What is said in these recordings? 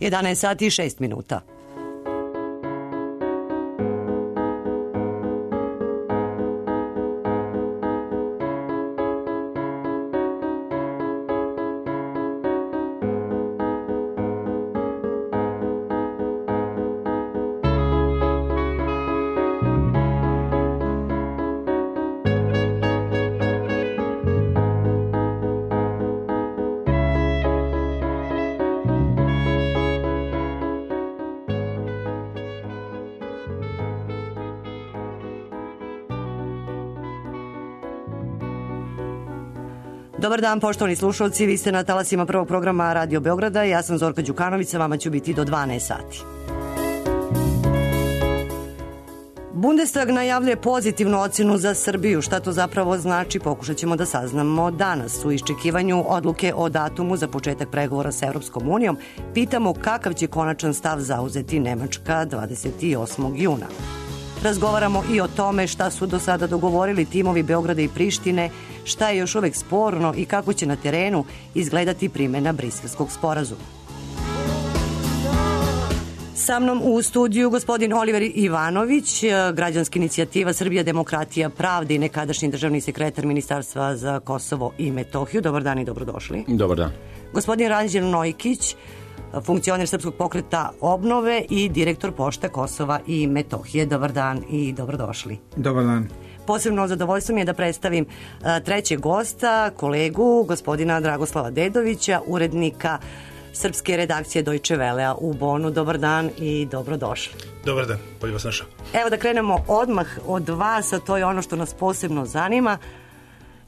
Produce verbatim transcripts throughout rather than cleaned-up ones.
jedanaest sati i šest minuta. Dobar dan, poštovani slušalci, vi ste na talasima prvog programa Radio Beograda, ja sam Zorka Đukanović, sa vama ću biti do dvanaest sati. Bundestag najavljuje pozitivnu ocenu za Srbiju. Šta to zapravo znači, pokušat ćemo da saznamo danas. U iščekivanju odluke o datumu za početak pregovora sa Evropskom unijom pitamo kakav će konačan stav zauzeti Nemačka dvadeset osmog juna. Razgovaramo i o tome šta su do sada dogovorili timovi Beograda i Prištine, šta je još uvek sporno i kako će na terenu izgledati primjena Briselskog sporazuma. Sa mnom u studiju gospodin Oliver Ivanović, građanska inicijativa Srbija, demokratija, pravda i nekadašnji državni sekretar Ministarstva za Kosovo i Metohiju. Dobar dan i dobrodošli. Dobar dan. Gospodin Ranđel Nojkić, funkcioner Srpskog pokreta obnove i direktor Pošte Kosova i Metohije. Dobar dan i dobrodošli. Dobar dan. Posebno zadovoljstvo mi je da predstavim trećeg gosta, kolegu, gospodina Dragoslava Dedovića, urednika srpske redakcije Deutsche Wellea u Bonu. Dobar dan i dobrodošli. Dobar dan, bolje vas našao. Evo da krenemo odmah od vas, a to je ono što nas posebno zanima.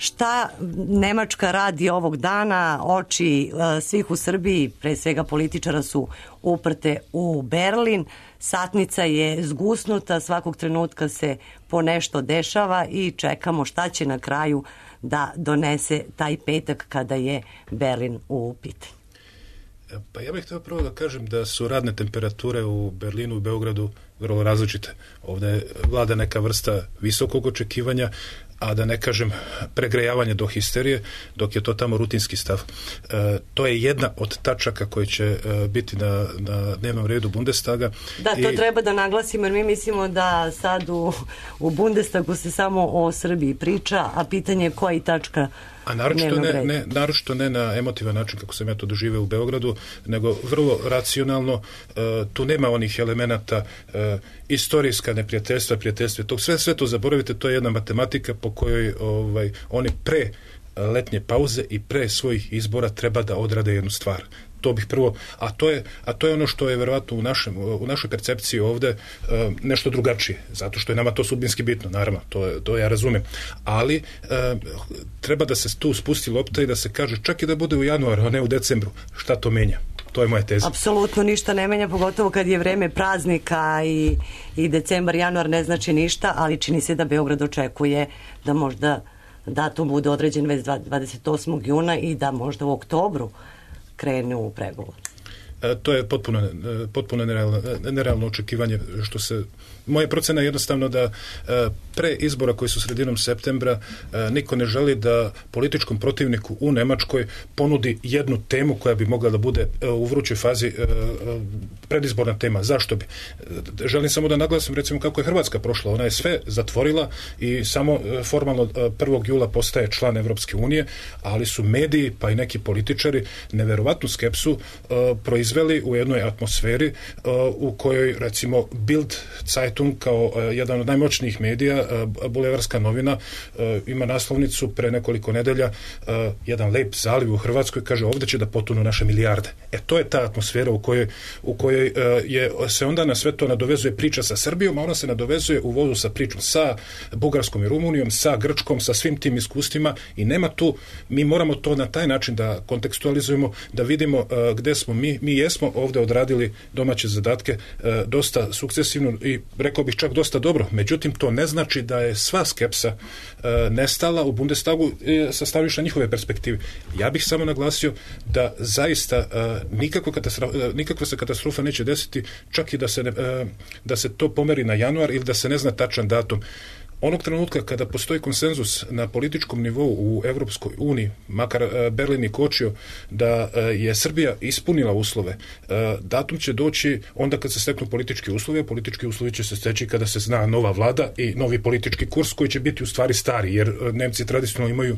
Šta Nemačka radi ovog dana? Oči svih u Srbiji, pre svega političara, su uprte u Berlin. Satnica je zgusnuta, svakog trenutka se po nešto dešava i čekamo šta će na kraju da donese taj petak kada je Berlin u pitanju. Pa ja bih htio prvo da kažem da su radne temperature u Berlinu i Beogradu vrlo različite. Ovdje vlada neka vrsta visokog očekivanja, a da ne kažem pregrejavanje do histerije, dok je to tamo rutinski stav. E, to je jedna od tačaka koje će e, biti na, na dnevnom redu Bundestaga. Da, to I... treba da naglasimo, jer mi mislimo da sad u, u Bundestagu se samo o Srbiji priča, a pitanje je koja je tačka A naročito ne, ne, naročito ne na emotivan način kako sam ja to doživeo u Beogradu, nego vrlo racionalno. E, tu nema onih elemenata e, istorijska neprijateljstva, prijateljstva, to sve, sve to zaboravite, to je jedna matematika po kojoj ovaj, oni pre letnje pauze i pre svojih izbora treba da odrade jednu stvar. To bih prvo, a to je, a to je ono što je verovatno u, našem, u našoj percepciji ovde e, nešto drugačije, zato što je nama to sudbinski bitno, naravno, to, je, to ja razumem, ali e, treba da se tu spusti lopta i da se kaže čak i da bude u januaru, a ne u decembru, šta to menja? To je moja teza. Apsolutno ništa ne menja, pogotovo kad je vreme praznika i, i decembar, januar ne znači ništa, ali čini se da Beograd očekuje da možda datum bude određen već dvadeset osmog juna i da možda u oktobru krenu u pregovor. E, to je potpuno, potpuno nerealno, nerealno očekivanje. Što se, moja procena je jednostavno da e, pre izbora koji su sredinom septembra e, niko ne želi da političkom protivniku u Nemačkoj ponudi jednu temu koja bi mogla da bude e, u vrućoj fazi e, predizborna tema. Zašto bi? E, želim samo da naglasim recimo kako je Hrvatska prošla. Ona je sve zatvorila i samo e, formalno e, prvog jula postaje član Evropske unije, ali su mediji pa i neki političari neverovatnu skepsu e, proizveli u jednoj atmosferi e, u kojoj recimo Bild Zeitung kao e, jedan od najmoćnijih medija, e, bulevarska novina, e, ima naslovnicu pre nekoliko nedelja, e, jedan lep zaliv u Hrvatskoj, kaže ovdje će da potonu naše milijarde. E to je ta atmosfera u kojoj, u kojoj e, je, se onda na sve to nadovezuje priča sa Srbijom, a ona se nadovezuje u vozu sa pričom sa Bugarskom i Rumunijom, sa Grčkom, sa svim tim iskustvima i nema tu, mi moramo to na taj način da kontekstualizujemo, da vidimo e, gde smo mi, mi jesmo ovdje odradili domaće zadatke e, dosta sukcesivno i rekao bih čak dosta dobro. Međutim, to ne znači da je sva skepsa e, nestala u Bundestagu e, sa stanovišta njihove perspektive. Ja bih samo naglasio da zaista e, nikakva, katastrofa, e, nikakva se katastrofa neće desiti čak i da se, ne, e, da se to pomeri na januar ili da se ne zna tačan datum. onog trenutka kada postoji konsenzus na političkom nivou u Evropskoj uniji, makar Berlin i kočio da je Srbija ispunila uslove, datum će doći onda kad se steknu politički uslovi, a politički uslovi će se steći kada se zna nova vlada i novi politički kurs koji će biti u stvari stari, jer Nemci tradicionalno imaju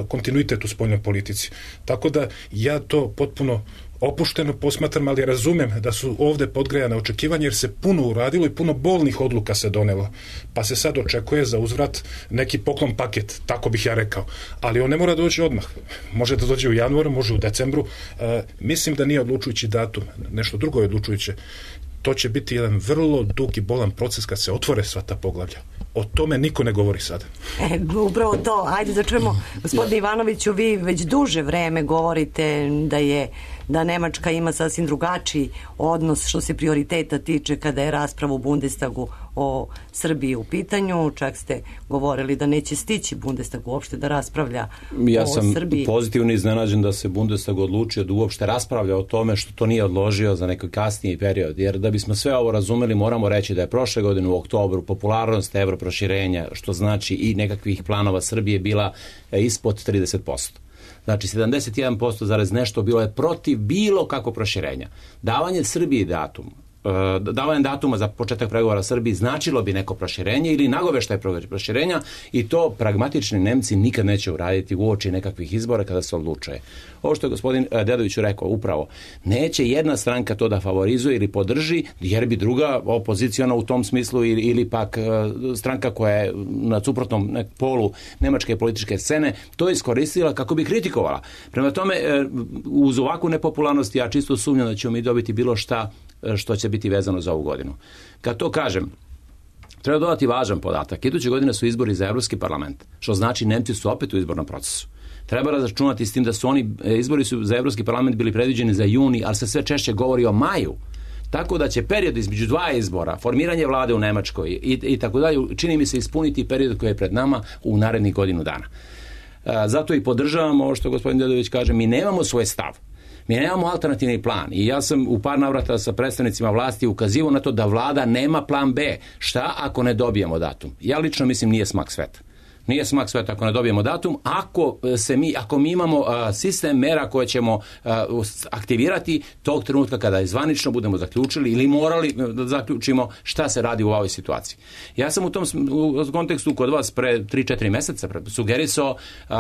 kontinuitet u spoljnoj politici. Tako da ja to potpuno opušteno posmatram, ali razumem da su ovde podgrejane očekivanja, jer se puno uradilo i puno bolnih odluka se donelo. Pa se sad očekuje za uzvrat neki poklon paket, tako bih ja rekao. Ali on ne mora doći odmah. Može da dođe u januaru, može u decembru. E, mislim da nije odlučujući datum. Nešto drugo je odlučujuće. To će biti jedan vrlo dug i bolan proces kad se otvore sva ta poglavlja. O tome niko ne govori sada. E, upravo to. Ajde da čujemo, gospodine Ivanoviću, vi već duže vreme govorite da je da Nemačka ima sasvim drugačiji odnos što se prioriteta tiče kada je rasprava u Bundestagu o Srbiji u pitanju. Čak ste govorili da neće stići Bundestag uopšte da raspravlja ja o Srbiji. Ja sam pozitivno iznenađen da se Bundestag odlučio da uopšte raspravlja o tome što to nije odložio za neki kasniji period. Jer da bismo sve ovo razumeli, moramo reći da je prošle godine u oktobru popularnost evroproširenja, što znači i nekakvih planova Srbije, bila ispod trideset posto. Znači sedamdeset jedan posto zarez nešto bilo je protiv bilo kako proširenja. Davanje Srbiji datum, davanje datuma za početak pregovora Srbiji značilo bi neko proširenje ili nagoveštaj proširenja, i to pragmatični Nemci nikad neće uraditi uoči nekakvih izbora kada se odlučuje. Ovo što je gospodin Dedović rekao, upravo, neće jedna stranka to da favorizuje ili podrži, jer bi druga opoziciona u tom smislu ili, ili pak stranka koja je na suprotnom polu nemačke političke scene to iskoristila kako bi kritikovala. Prema tome, uz ovakvu nepopularnost ja čisto sumnjam da ćemo mi dobiti bilo šta što će biti vezano za ovu godinu. Kad to kažem, treba dodati važan podatak. Iduće godine su izbori za Evropski parlament, što znači Nemci su opet u izbornom procesu. Treba razračunati s tim da su oni, izbori su za Evropski parlament bili predviđeni za juni, ali se sve češće govori o maju. Tako da će period između dva izbora, formiranje vlade u Nemačkoj i, i tako dalje, čini mi se ispuniti period koji je pred nama u narednih godinu dana. Zato i podržavamo ovo što gospodin Dedović kaže, mi nemamo svoj stav. Mi nemamo alternativni plan i ja sam u par navrata sa predstavnicima vlasti ukazivao na to da vlada nema plan B. Šta ako ne dobijemo datum? Ja lično mislim nije smak sveta. Nije smak sveta ako ne dobijemo datum, ako se mi, ako mi imamo uh, sistem mera koje ćemo uh, aktivirati tog trenutka kada je zvanično budemo zaključili ili morali da zaključimo šta se radi u ovoj situaciji. Ja sam u tom u kontekstu kod vas pre tri četiri meseca sugerisao uh,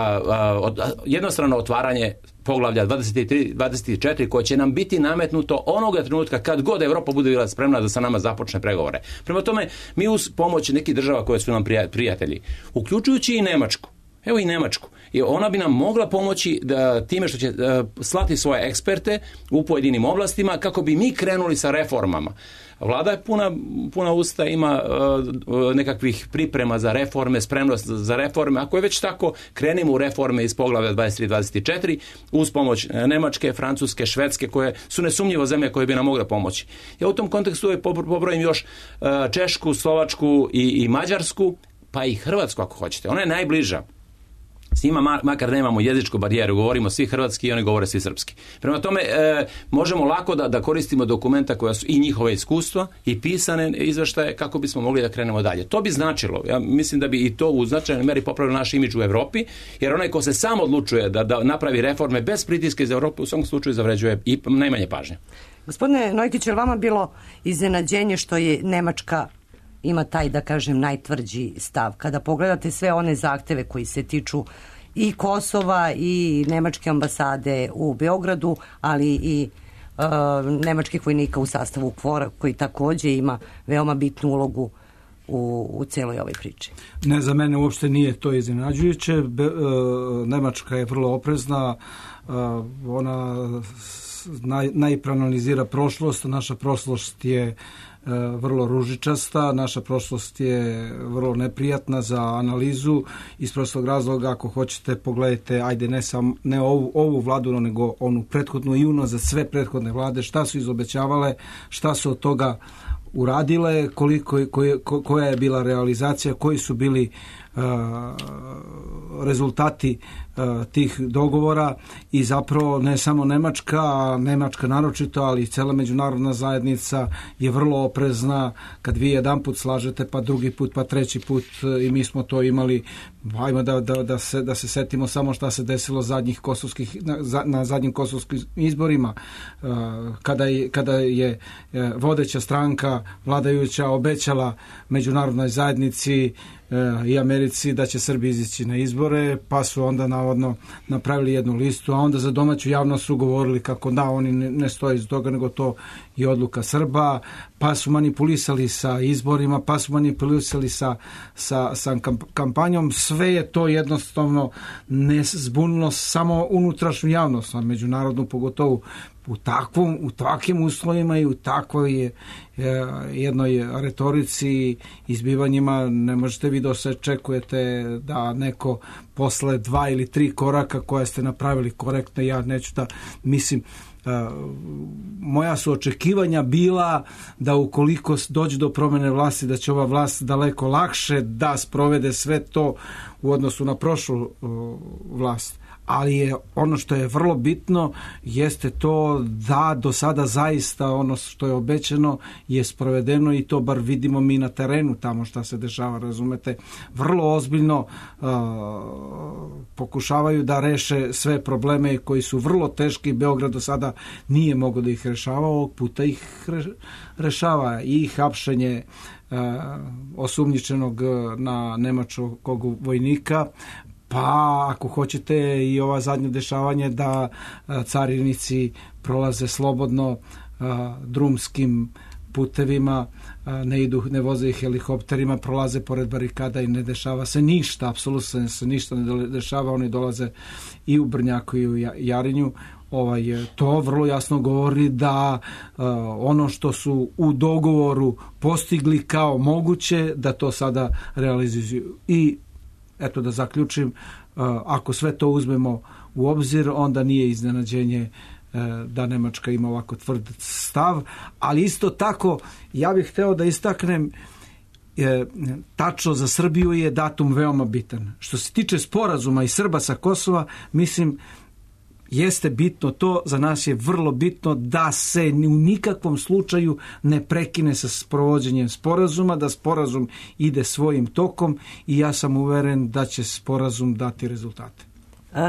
uh, jednostrano otvaranje poglavlja dvadeset tri dvadeset četiri koje će nam biti nametnuto onoga trenutka kad god Evropa bude bila spremna da sa nama započne pregovore. Prema tome, mi uz pomoć nekih država koje su nam prijatelji, uključujući i Nemačku, evo i Nemačku, i ona bi nam mogla pomoći da time što će uh, slati svoje eksperte u pojedinim oblastima kako bi mi krenuli sa reformama. Vlada je puna, puna usta, ima uh, nekakvih priprema za reforme, spremnost za reforme. Ako je već tako, krenimo u reforme iz poglavlja dvadeset tri dvadeset četiri uz pomoć Nemačke, Francuske, Švedske, koje su nesumnjivo zemlje koje bi nam mogle pomoći. Ja u tom kontekstu je pobrojim još uh, Češku, Slovačku i, i Mađarsku, pa i Hrvatsku ako hoćete. Ona je najbliža. S njima makar nemamo jezičku barijeru, govorimo svi hrvatski i oni govore svi srpski. Prema tome, e, možemo lako da, da koristimo dokumenta koja su i njihove iskustva i pisane izveštaje kako bismo mogli da krenemo dalje. To bi značilo, ja mislim da bi i to u značajnoj meri popravilo naš imidž u Evropi, jer onaj ko se sam odlučuje da, da napravi reforme bez pritiska iz Evrope u svom slučaju zavređuje i najmanje pažnje. Gospodine Nojkić, je li vama bilo iznenađenje što je Nemačka ima taj, da kažem, najtvrđi stav? Kada pogledate sve one zahteve koji se tiču i Kosova i nemačke ambasade u Beogradu, ali i uh, nemačkih vojnika u sastavu KFOR-a, koji takođe ima veoma bitnu ulogu u, u celoj ovoj priči. Ne, za mene uopšte nije to iznenađujuće. Be, uh, Nemačka je vrlo oprezna, uh, ona naj, najproanalizira prošlost, naša prošlost je vrlo ružičasta, naša prošlost je vrlo neprijatna za analizu. Iz prostog razloga, ako hoćete, pogledajte, ajde ne, sam, ne ovu, ovu vladu, nego onu prethodnu i uno za sve prethodne vlade, šta su izobećavale, šta su od toga uradile, koliko, koje, koja je bila realizacija, koji su bili uh, rezultati tih dogovora i zapravo ne samo Nemačka, a Nemačka naročito, ali i cela međunarodna zajednica je vrlo oprezna kad vi jedan put slažete, pa drugi put, pa treći put, i mi smo to imali. Hajmo da, da, da, se, da se setimo samo šta se desilo zadnjih kosovskih, na, na zadnjim kosovskim izborima, kada je, kada je vodeća stranka vladajuća obećala međunarodnoj zajednici i Americi da će Srbi izići na izbore, pa su onda navodno napravili jednu listu, a onda za domaću javnost su govorili kako da, oni ne stoje iz toga, nego to je odluka Srba, pa su manipulisali sa izborima, pa su manipulisali sa, sa, sa kampanjom. Sve je to jednostavno ne zbunilo samo unutrašnju javnost, a međunarodnu pogotovo u takvom, u takvim uslovima i u takvoj je, jednoj retorici, izbivanjima. Ne možete vi da se očekujete da neko posle dva ili tri koraka koje ste napravili korektno, ja neću da mislim, moja su očekivanja bila da ukoliko dođe do promene vlasti, da će ova vlast daleko lakše da sprovede sve to u odnosu na prošlu vlast. Ali je ono što je vrlo bitno jeste to da do sada zaista ono što je obećano je sprovedeno, i to bar vidimo mi na terenu tamo šta se dešava, razumete. Vrlo ozbiljno uh, pokušavaju da reše sve probleme koji su vrlo teški. Beograd do sada nije mogao da ih rešava, ovog puta ih re, rešava i hapšenje uh, osumnjičenog na nemačkog vojnika, pa ako hoćete i ova zadnje dešavanje da carinici prolaze slobodno drumskim putevima, ne idu, ne voze ih helikopterima, prolaze pored barikada i ne dešava se ništa, apsolutno se ništa ne dešava, oni dolaze i u Brnjaku i u Jarinju. Ovaj, to vrlo jasno govori da uh, ono što su u dogovoru postigli kao moguće, da to sada realizuju. I eto da zaključim, ako sve to uzmemo u obzir, onda nije iznenađenje da Nemačka ima ovako tvrd stav, ali isto tako ja bih hteo da istaknem, tačno za Srbiju je datum veoma bitan. Što se tiče sporazuma i Srba sa Kosova, mislim, jeste bitno to, za nas je vrlo bitno da se u nikakvom slučaju ne prekine sa sprovođenjem sporazuma, da sporazum ide svojim tokom, i ja sam uveren da će sporazum dati rezultate.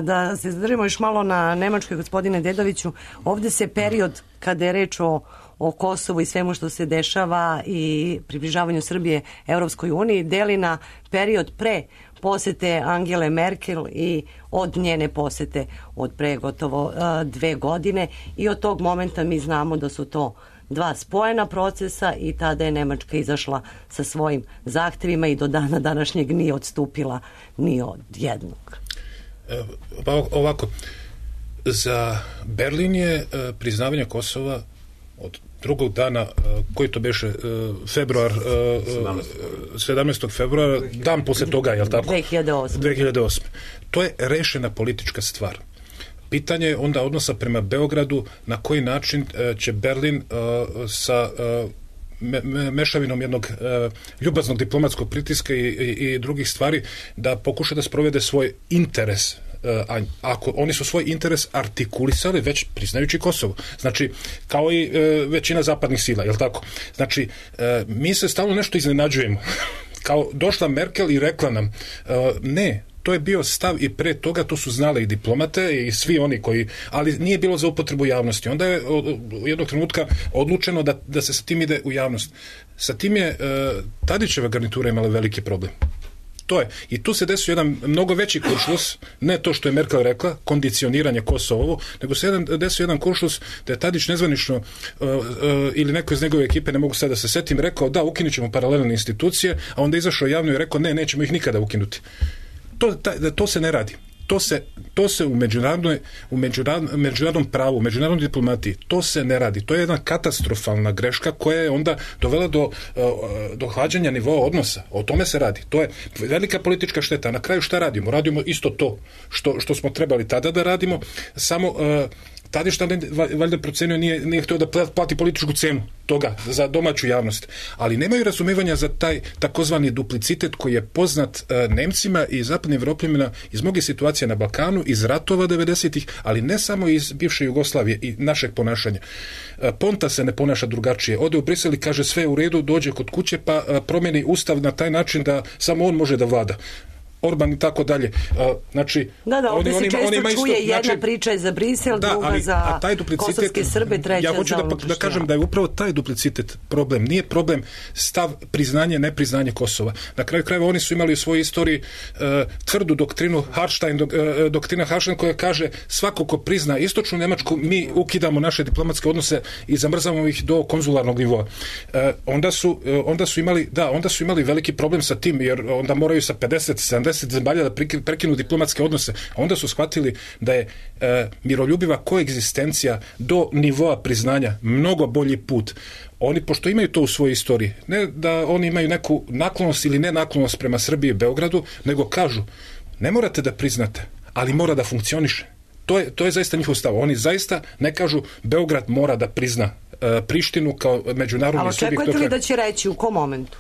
Da se zadržimo još malo na Nemačkoj, gospodine Dedoviću, ovde se period kada je reč o, o Kosovu i svemu što se dešava i približavanju Srbije Evropskoj uniji deli na period pre posete Angele Merkel i od njene posete od pre gotovo uh, dve godine, i od tog momenta mi znamo da su to dva spojena procesa i tada je Nemačka izašla sa svojim zahtevima i do dana današnjeg nije odstupila ni od jednog. Pa ovako, za Berlin je priznavanje Kosova od drugog dana, koji to beše, februar, sedamnaestog februara, dan posle toga, je li tako? dve hiljade osme. dve hiljade osme. To je rešena politička stvar. Pitanje je onda odnosa prema Beogradu, na koji način će Berlin sa me, me, mešavinom jednog ljubaznog diplomatskog pritiska i, i, i drugih stvari da pokuša da sprovede svoj interes. A ako oni su svoj interes artikulisali već priznajući Kosovo, znači kao i e, većina zapadnih sila, je li tako? Znači e, mi se stalno nešto iznenađujemo. Kao došla Merkel i rekla nam e, ne, to je bio stav i pre toga, to su znale i diplomate i svi oni koji, ali nije bilo za upotrebu javnosti. Onda je u jednog trenutka odlučeno da, da se sa tim ide u javnost. Sa tim je e, Tadićeva garnitura imala veliki problem. To je. I tu se desio jedan mnogo veći kuršlus, ne to što je Merkel rekla, kondicioniranje Kosovovo, nego se jedan, desio jedan kuršlus da je Tadić nezvanično uh, uh, ili neko iz njegove ekipe, ne mogu sad da se setim, rekao da ukinut ćemo paralelne institucije, a onda izašao javno i rekao ne, nećemo ih nikada ukinuti. To, ta, to se ne radi. To se, to se u, međunarodnoj, u međunarodnom, međunarodnom pravu, u međunarodnoj diplomatiji, to se ne radi. To je jedna katastrofalna greška koja je onda dovela do, do hlađanja nivoa odnosa. O tome se radi. To je velika politička šteta. Na kraju šta radimo? Radimo isto to što, što smo trebali tada da radimo, samo uh, Tadić ne, valjda procenio, nije, nije htio da plati političku cenu toga za domaću javnost. Ali nemaju razumevanja za taj takozvani duplicitet koji je poznat uh, Nemcima i zapadnim Evropljanima iz mnogih situacija na Balkanu, iz ratova devedesetih, ali ne samo iz bivše Jugoslavije i našeg ponašanja. Uh, Ponta se ne ponaša drugačije. Ode u Brisel i kaže sve je u redu, dođe kod kuće pa uh, promeni ustav na taj način da samo on može da vlada. Orban i tako dalje. Znači, da, da, ovdje oni, se često oni, oni čuje isto, jedna znači, priča je za Brisel, da, druga ali, za kosovske Srbe, treća ja hoću za da, da kažem da je upravo taj duplicitet problem. Nije problem stav priznanje, nepriznanje Kosova. Na kraju krajeva oni su imali u svojoj istoriji uh, tvrdu doktrinu Harstein, dok, uh, doktrina Harstein koja kaže svako ko prizna istočnu Nemačku, mi ukidamo naše diplomatske odnose i zamrzavamo ih do konzularnog nivoa. Uh, onda, su, uh, onda su imali, da, onda su imali veliki problem sa tim, jer onda moraju sa pedeset sedamdeset zemalja da prekinu diplomatske odnose. A onda su shvatili da je e, miroljubiva koegzistencija do nivoa priznanja mnogo bolji put. Oni, pošto imaju to u svojoj istoriji, ne da oni imaju neku naklonost ili nenaklonost prema Srbiji i Beogradu, nego kažu, ne morate da priznate, ali mora da funkcioniše. To je, to je zaista njihov stav. Oni zaista ne kažu Beograd mora da prizna e, Prištinu kao međunarodni subjekt. Ali očekujete li da će reći u kom momentu?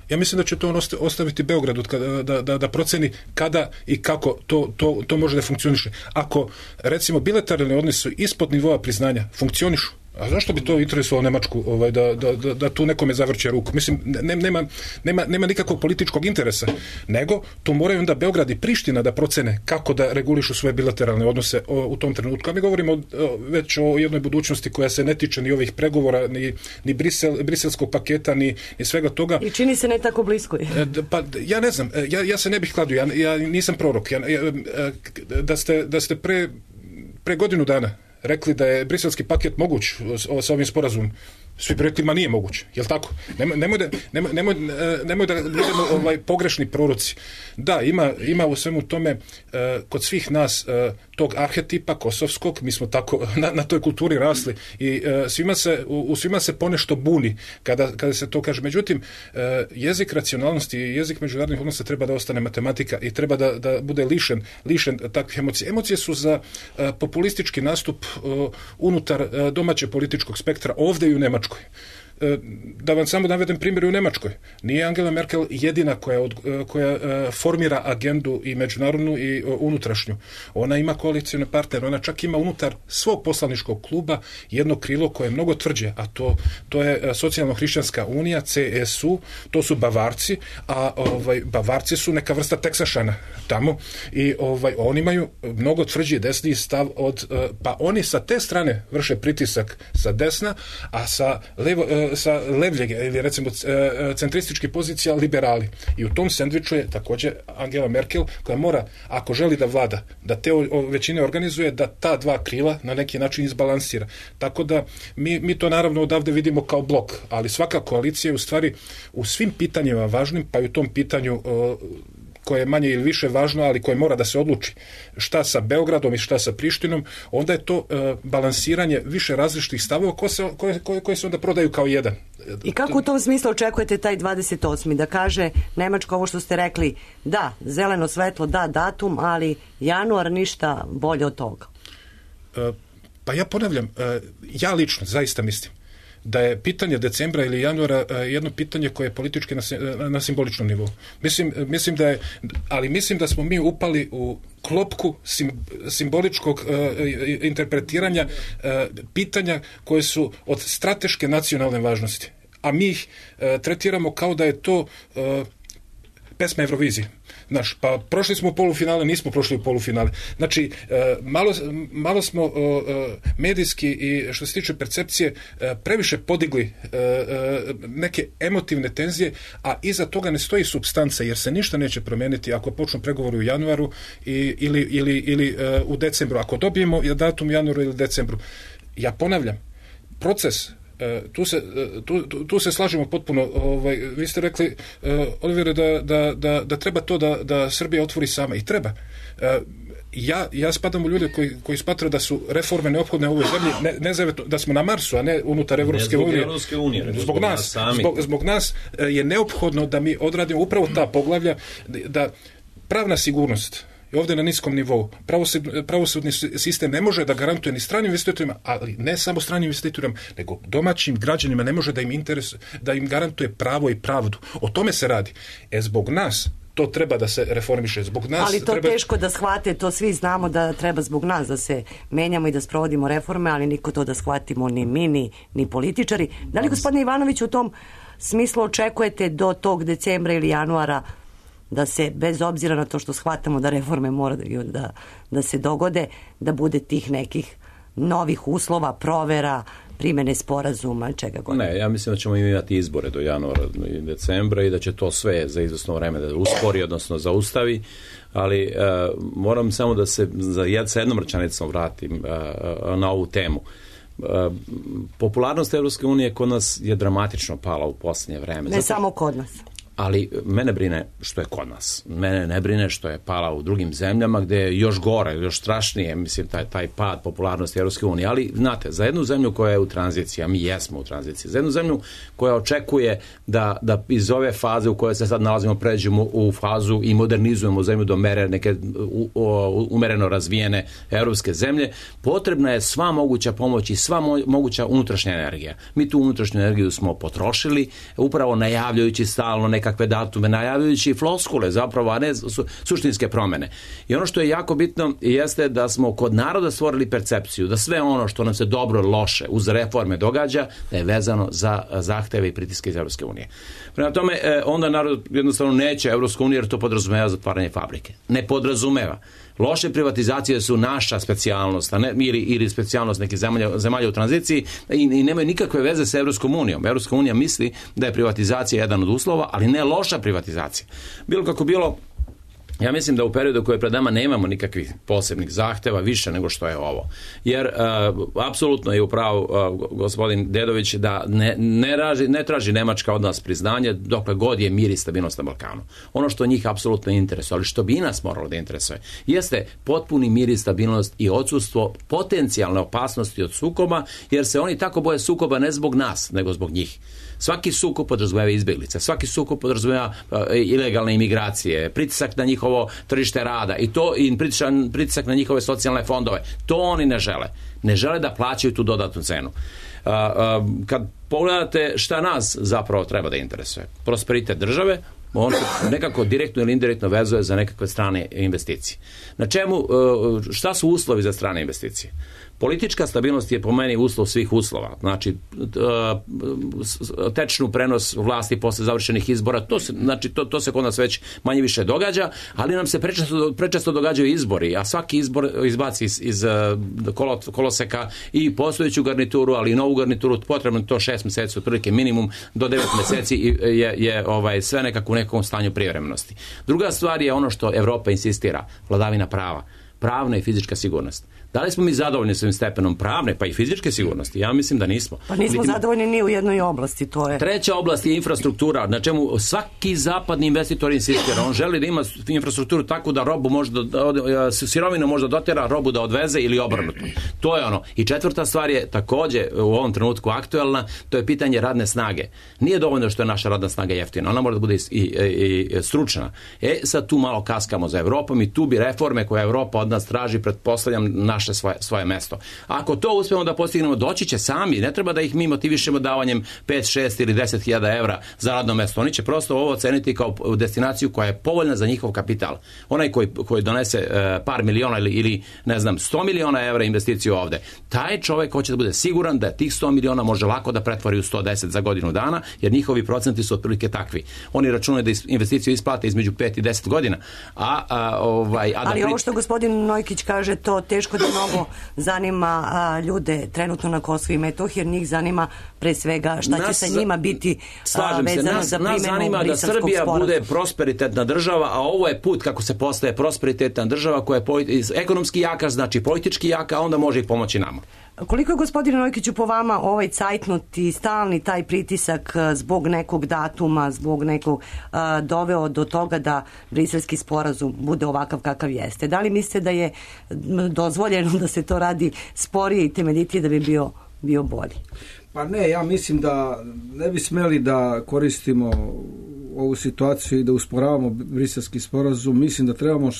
Ja mislim da će to on ostaviti Beogradu da, da, da proceni kada i kako to, to, to može da funkcioniše. Ako, recimo, bilateralni odnosi ispod nivoa priznanja funkcionišu, a zašto bi to interesovalo Nemačku ovaj, da, da, da, da tu nekome zavrće ruku? Mislim, ne, nema, nema, nema nikakvog političkog interesa, nego tu moraju onda Beograd i Priština da procene kako da regulišu svoje bilateralne odnose o, u tom trenutku. A mi govorimo o, već o jednoj budućnosti koja se ne tiče ni ovih pregovora, ni, ni Brisel, briselskog paketa, ni, ni svega toga. I čini se ne tako blisko. Pa, ja ne znam, ja, ja se ne bih kladio, ja, ja nisam prorok. Ja, ja, da ste, da ste pre, pre godinu dana rekli da je briselski paket moguć sa ovim sporazumom, svi bi rekli, ma nije moguće, jel tako? Nemoj, nemoj, da, nemoj, nemoj, nemoj da budemo ovaj, pogrešni proroci. Da, ima, ima u svemu tome uh, kod svih nas uh, tog arhetipa kosovskog, mi smo tako na, na toj kulturi rasli i uh, svima se, u, u svima se ponešto buni kada, kada se to kaže. Međutim, uh, jezik racionalnosti i jezik međunarodnih odnosa treba da ostane matematika i treba da, da bude lišen, lišen takvih emocija. Emocije su za uh, populistički nastup uh, unutar uh, domaće političkog spektra, ovde i u Nemačkoj. Da vam samo navedem primjer u Nemačkoj. Nije Angela Merkel jedina koja, od, koja formira agendu i međunarodnu i unutrašnju. Ona ima koalicione partnere, ona čak ima unutar svog poslaničkog kluba jedno krilo koje je mnogo tvrđe, a to, to je Socijalno-hrišćanska unija, C S U, to su Bavarci, a ovaj, Bavarci su neka vrsta Teksašana tamo i ovaj, oni imaju mnogo tvrđi desni stav od, pa oni sa te strane vrše pritisak sa desna, a sa levo, sa levljege ili recimo centristički pozicija liberali. I u tom sendviču je također Angela Merkel koja mora, ako želi da vlada, da te većine organizuje, da ta dva krila na neki način izbalansira. Tako da mi, mi to naravno odavde vidimo kao blok, ali svaka koalicija je u stvari u svim pitanjima važnim, pa i u tom pitanju koje je manje ili više važno, ali koje mora da se odluči šta sa Beogradom i šta sa Prištinom, onda je to uh, balansiranje više različitih stavova koje se, koje, koje, koje se onda prodaju kao jedan. I kako u tom smislu očekujete taj dvadeset osmi da kaže Nemačka ovo što ste rekli, da, zeleno svetlo, da, datum, ali januar ništa bolje od toga? Uh, pa ja ponavljam, uh, ja lično zaista mislim da je pitanje decembra ili januara jedno pitanje koje je politički na, na simboličnom nivou. Mislim, mislim da je, ali mislim da smo mi upali u klopku sim, simboličkog uh, interpretiranja uh, pitanja koje su od strateške nacionalne važnosti. A mi ih uh, tretiramo kao da je to uh, pesma Eurovizije. Znaš, pa prošli smo u polufinale, nismo prošli u polufinale. Znači, malo, malo smo medijski i što se tiče percepcije previše podigli neke emotivne tenzije, a iza toga ne stoji supstanca, jer se ništa neće promijeniti ako počnu pregovori u januaru i, ili, ili, ili u decembru. Ako dobijemo datum u januaru ili decembru. Ja ponavljam, proces Tu se, tu, tu se slažemo potpuno. Ovaj, vi ste rekli, uh, Olivere, da, da, da, da treba to da, da Srbija otvori sama. I treba. Uh, ja, ja spadam u ljude koji, koji smatraju da su reforme neophodne u ovoj zemlji, ne, ne zavetno, da smo na Marsu, a ne unutar Evropske unije. Evropske unije. Zbog, zbog nas. Sami. Zbog, zbog nas je neophodno da mi odradimo upravo ta poglavlja, da pravna sigurnost je ovdje na niskom nivou. Pravosudni, pravosudni sistem ne može da garantuje ni stranim investitorima, ali ne samo stranim investitorima, nego domaćim građanima ne može da im interes, da im garantuje pravo i pravdu. O tome se radi. E zbog nas to treba da se reformiše. Zbog nas ali to treba... teško da shvate, to svi znamo da treba zbog nas da se menjamo i da sprovodimo reforme, ali niko to da shvatimo, ni mi, ni, ni političari. Da li, gospodine Ivanović, u tom smislu očekujete do tog decembra ili januara da se, bez obzira na to što shvatamo da reforme mora da, da se dogode, da bude tih nekih novih uslova, provera, primene sporazuma, čega god? Ne, ja mislim da ćemo imati izbore do januara i decembra i da će to sve za izvesno vreme da uspori, odnosno zaustavi, ali uh, moram samo da se za jed, sa jednom rečanicom vratim uh, na ovu temu. Uh, popularnost Evropske unije kod nas je dramatično pala u posljednje vreme. Ne Zato... samo kod nas. Ali mene brine što je kod nas. Mene ne brine što je pala u drugim zemljama gde je još gore, još strašnije, mislim, taj, taj pad popularnosti Evropske unije. Ali, znate, za jednu zemlju koja je u tranziciji, a mi jesmo u tranziciji, za jednu zemlju koja očekuje da, da iz ove faze u kojoj se sad nalazimo pređemo u fazu i modernizujemo zemlju do mere neke u, u, umereno razvijene evropske zemlje, potrebna je sva moguća pomoć i sva mo, moguća unutrašnja energija. Mi tu unutrašnju energiju smo potrošili, upravo najavljajući stalno neke kakve datume, najavljujući floskule zapravo, a ne su, suštinske promene. I ono što je jako bitno jeste da smo kod naroda stvorili percepciju da sve ono što nam se dobro, loše uz reforme događa, da je vezano za zahteve i pritiske iz Evropske unije. Prema tome, onda narod jednostavno neće Evropsku uniju jer to podrazumeva zatvaranje fabrike. Ne podrazumeva. Loše privatizacije su naša specijalnost, a ne, ili, ili specijalnost nekih zemalja, zemalja u tranziciji i, i nemaju nikakve veze sa Evropskom unijom. Evropska unija misli da je privatizacija jedan od uslova, ali ne loša privatizacija. Bilo kako bilo, ja mislim da u periodu koji je pred nama nemamo nikakvih posebnih zahteva više nego što je ovo. Jer uh, apsolutno je upravo uh, gospodin Dedović da ne, ne, raži, ne traži Nemačka od nas priznanje dokle god je mir i stabilnost na Balkanu. Ono što njih apsolutno interesuje, ali što bi i nas moralo da interesuje, jeste potpuni mir i stabilnost i odsustvo potencijalne opasnosti od sukoba, jer se oni tako boje sukoba ne zbog nas, nego zbog njih. Svaki sukob podrazumeva izbjeglice, svaki sukob podrazumeva uh, ilegalne imigracije, pritisak na njihovo tržište rada i to i pritisak, pritisak na njihove socijalne fondove. To oni ne žele. Ne žele da plaćaju tu dodatnu cenu. Uh, uh, kad pogledate šta nas zapravo treba da interesuje, prosperitet države, on se nekako direktno ili indirektno vezuje za nekakve strane investicije. Na čemu, uh, šta su uslovi za strane investicije? Politička stabilnost je po meni uslov svih uslova. Znači, tečnu prenos vlasti posle završenih izbora, to se, znači, to, to se kod nas već manje više događa, ali nam se prečesto, prečesto događaju izbori, a svaki izbor izbaci iz, iz kolo, koloseka i postojeću garnituru, ali i novu garnituru, potrebno to šest meseci, otprilike minimum, do devet meseci je, je ovaj, sve nekako u nekom stanju privremenosti. Druga stvar je ono što Evropa insistira, vladavina prava, pravna i fizička sigurnost. Da li smo mi zadovoljni s ovim stepenom pravne pa i fizičke sigurnosti? Ja mislim da nismo. Pa nismo Litim... zadovoljni ni u jednoj oblasti, to je. Treća oblast je infrastruktura, na čemu svaki zapadni investitor insistira. On želi da ima infrastrukturu tako da robu može da, sirovinu može da dotera, robu da odveze ili obrnuto. To je ono. I četvrta stvar je takođe u ovom trenutku aktuelna, to je pitanje radne snage. Nije dovoljno što je naša radna snaga jeftina, ona mora da bude i, i, i stručna. E, sad tu malo kaskamo za Evropom i tu bi reforme koje Evropa od nas traži, pretpostavljam, naš Svoje, svoje mesto. Ako to uspemo da postignemo, doći će sami, ne treba da ih mi motivišemo davanjem pet, šest ili deset hiljada evra za radno mesto. Oni će prosto ovo oceniti kao destinaciju koja je povoljna za njihov kapital. Onaj koji, koji donese uh, par miliona ili, ili ne znam, sto miliona evra investiciju ovde, taj čovek hoće da bude siguran da tih sto miliona može lako da pretvori u sto deset za godinu dana, jer njihovi procenti su otprilike takvi. Oni računaju da investiciju isplate između pet i deset godina. A, a, ovaj, a da Ali pri... ovo što gospodin Nojkić kaže, to teško da mnogo zanima a, ljude trenutno na Kosovu i Metohiji, jer njih zanima pre svega šta nas, će sa njima biti a, vezano nas, za primjenu Briselskog sporazuma. Nas zanima da Srbija sporazuma. bude prosperitetna država, a ovo je put kako se postaje prosperitetna država koja je politi- ekonomski jaka, znači politički jaka, a onda može i pomoći nama. Koliko je, gospodine Nojkiću, po vama ovaj cajtnut i stalni taj pritisak zbog nekog datuma, zbog nekog a, doveo do toga da Briselski sporazum bude ovakav kakav jeste? Da li mislite da je dozvoljeno da se to radi sporije i temeljitije da bi bio, bio bolji? Pa ne, ja mislim da ne bi smeli da koristimo ovu situaciju i da usporavamo Briselski sporazum. Mislim da trebamo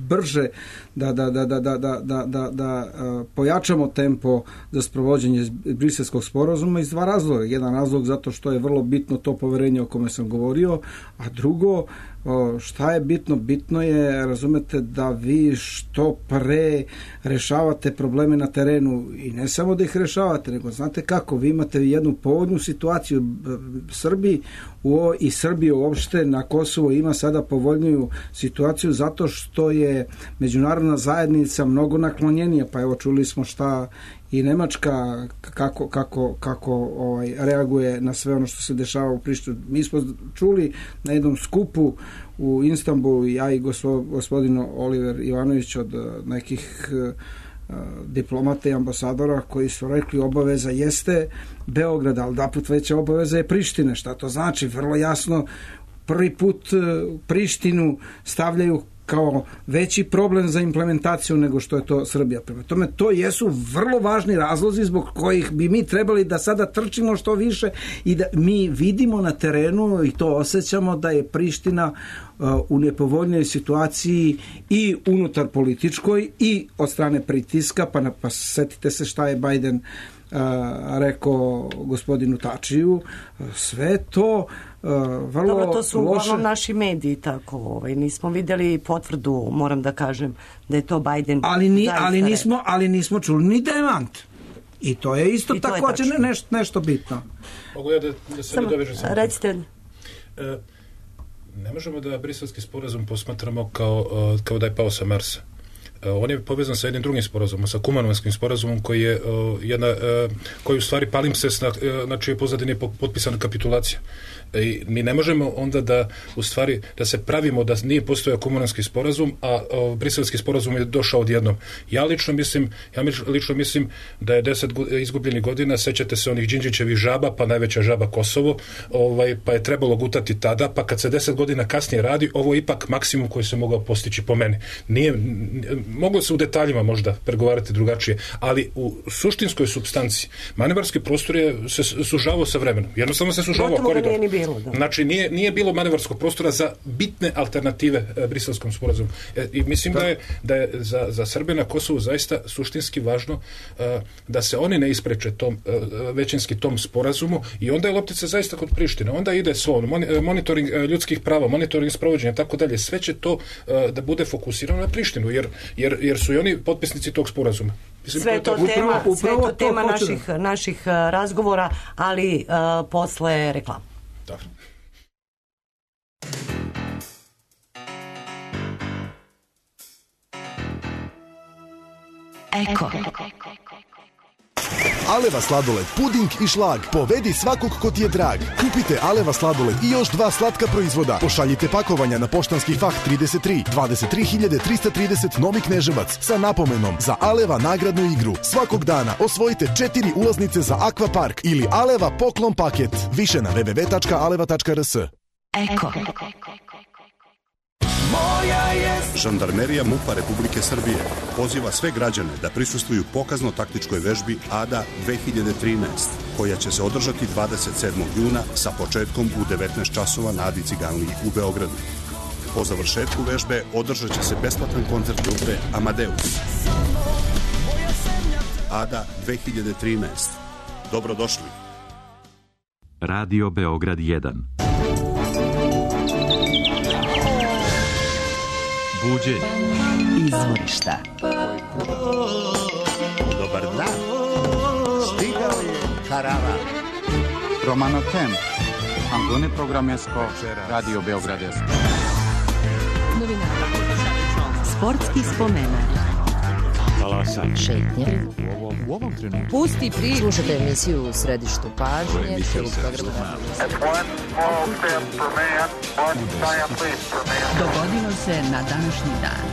brže da, da, da, da, da, da, da, da, da pojačamo tempo za sprovođenje Briselskog sporazuma iz dva razloga. Jedan razlog zato što je vrlo bitno to poverenje o kome sam govorio, a drugo, šta je bitno? Bitno je, razumete, da vi što pre rešavate probleme na terenu i ne samo da ih rešavate, nego znate kako, vi imate jednu povoljnu situaciju Srbiji u, i Srbije uopšte na Kosovo ima sada povoljniju situaciju zato što je međunarodna zajednica mnogo naklonjenija, pa evo čuli smo šta i Nemačka kako, kako, kako ovaj, reaguje na sve ono što se dešava u Prištini. Mi smo čuli na jednom skupu u Istanbulu, ja i gospodin Oliver Ivanović od nekih uh, diplomata i ambasadora koji su rekli obaveza jeste Beograd, ali da put veća obaveza je Prištine. Šta to znači? Vrlo jasno, prvi put Prištinu stavljaju kao veći problem za implementaciju nego što je to Srbija. Prema tome, to jesu vrlo važni razlozi zbog kojih bi mi trebali da sada trčimo što više i da mi vidimo na terenu i to osjećamo da je Priština uh, u nepovoljnoj situaciji i unutar političkoj i od strane pritiska, pa, na, pa setite se šta je Biden uh, rekao gospodinu Tačiju, sve to Uh, vrlo Dobro, to su loše. uglavnom naši mediji tako, ovaj, nismo vidjeli potvrdu, moram da kažem da je to Biden ali, ni, ali, nismo, ali nismo čuli ni demant i to je isto također ne, nešto, nešto bitno. Mogu ja da, da se nadovežem samo? Recite. E, ne možemo da briselski sporazum posmatramo kao, kao da je pao sa Marsa. On je povezan sa jednim drugim sporazumom, sa Kumanovanskim sporazumom koji je uh, jedna, uh, koji u stvari palimpsest na, na čijoj pozadini je potpisana kapitulacija. I mi ne možemo onda da u stvari da se pravimo da nije postojao Kumanovanski sporazum, a uh, briselski sporazum je došao odjednom. Ja lično mislim, ja lično mislim da je deset izgubljenih godina, sećate se onih Đinđićevih žaba, pa najveća žaba Kosovo, ovaj, pa je trebalo gutati tada, pa kad se deset godina kasnije radi, ovo je ipak maksimum koji se mogao postići po meni. Nije moglo se u detaljima možda pregovarati drugačije, ali u suštinskoj supstanciji manevarski prostor je se sužavao sa vremenom. Jednostavno se sužavao koridor. Bilo, da. Znači nije, nije bilo manevarskog prostora za bitne alternative e, briselskom sporazumu. E, I mislim da, da je, da je za, za Srbe na Kosovu zaista suštinski važno e, da se oni ne ispreče tom, e, većinski tom sporazumu i onda je loptica zaista kod Prištine. Onda ide svo, monitoring e, ljudskih prava, monitoring sprovođenja, tako dalje. Sve će to e, da bude fokusirano na Prištinu, jer, jer, jer su i oni potpisnici tog sporazuma. Mislim, sve to, to tema, upravo, sve to tema to naših, naših razgovora, ali uh, posle reklama. Dobro. Eko. Aleva sladoled, puding i šlag. Povedi svakog ko ti je drag. Kupite Aleva sladoled i još dva slatka proizvoda. Pošaljite pakovanja na poštanski fah trideset tri dvadeset tri hiljade trista trideset Novi Kneževac sa napomenom za Aleva nagradnu igru. Svakog dana osvojite četiri ulaznice za Akvapark ili Aleva poklon paket. Više na w w w tačka aleva tačka r s. Eko. Žandarmerija MUP-a Republike Srbije poziva sve građane da prisustvuju pokazno-taktičkoj vežbi Ada dve hiljade trinaest, koja će se održati dvadeset sedmog juna sa početkom u devetnaest časova na Adi Ciganliji u Beogradu. Po završetku vežbe održat će se besplatan koncert grupe Amadeus. Ada dve hiljade trinaest. Dobrodošli. Radio Beograd jedan. Buđenje. Izvorišta. Dobar dan. Stigao je karavan. Romano Temp. Antone Programesko. Radio Beograd jedan. Novina. Sportski spomenak. Talasan. Šetnje. U ovom trenutku. Pusti pri. Slušajte emisiju u središtu pažnje. Dogodilo se na današnji dan.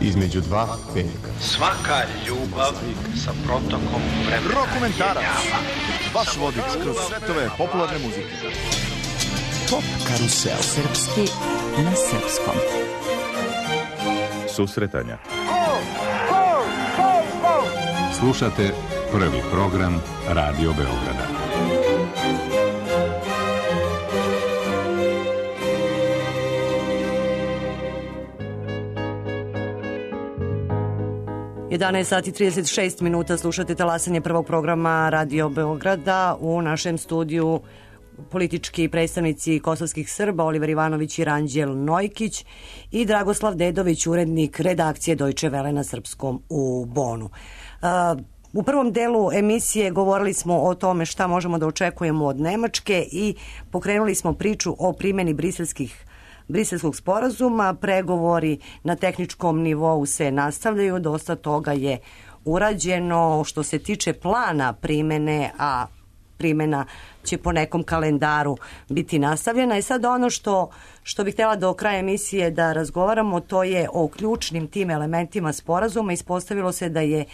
Između dva veka. Svaka ljubav sa protokom vremena. Rokomentarac. Vaš vodič kroz svetove popularne muzike. Top karusel. Srpski na srpskom. Susretanja. Slušate prvi program Radio Beograda. jedanaest sati i trideset šest minuta, slušate talasanje prvog programa Radio Beograda. U našem studiju politički predstavnici kosovskih Srba Oliver Ivanović i Ranđel Nojkić i Dragoslav Dedović, urednik redakcije Deutsche Welle na srpskom u Bonu. U prvom delu emisije govorili smo o tome šta možemo da očekujemo od Nemačke i pokrenuli smo priču o primjeni briselskih Briselskog sporazuma. Pregovori na tehničkom nivou se nastavljaju, dosta toga je urađeno što se tiče plana primene, a primjena će po nekom kalendaru biti nastavljena. I sad ono što, što bih htjela do kraja emisije da razgovaramo, to je o ključnim tim elementima sporazuma. Ispostavilo se da je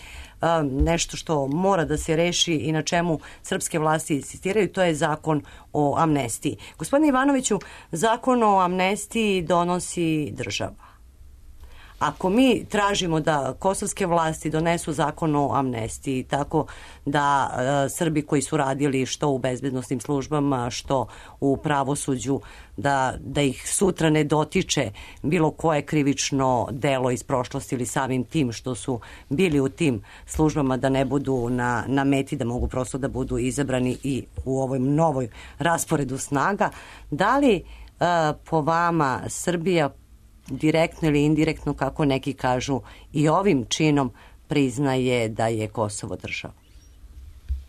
a, nešto što mora da se reši i na čemu srpske vlasti insistiraju, to je zakon o amnestiji. Gospodine Ivanoviću, zakon o amnestiji donosi država. Ako mi tražimo da kosovske vlasti donesu zakon o amnestiji tako da e, Srbi koji su radili što u bezbednosnim službama, što u pravosuđu, da, da ih sutra ne dotiče bilo koje krivično delo iz prošlosti ili samim tim što su bili u tim službama, da ne budu na, na meti, da mogu prosto da budu izabrani i u ovoj novoj rasporedu snaga. Da li e, po vama Srbija direktno ili indirektno, kako neki kažu, i ovim činom priznaje da je Kosovo država?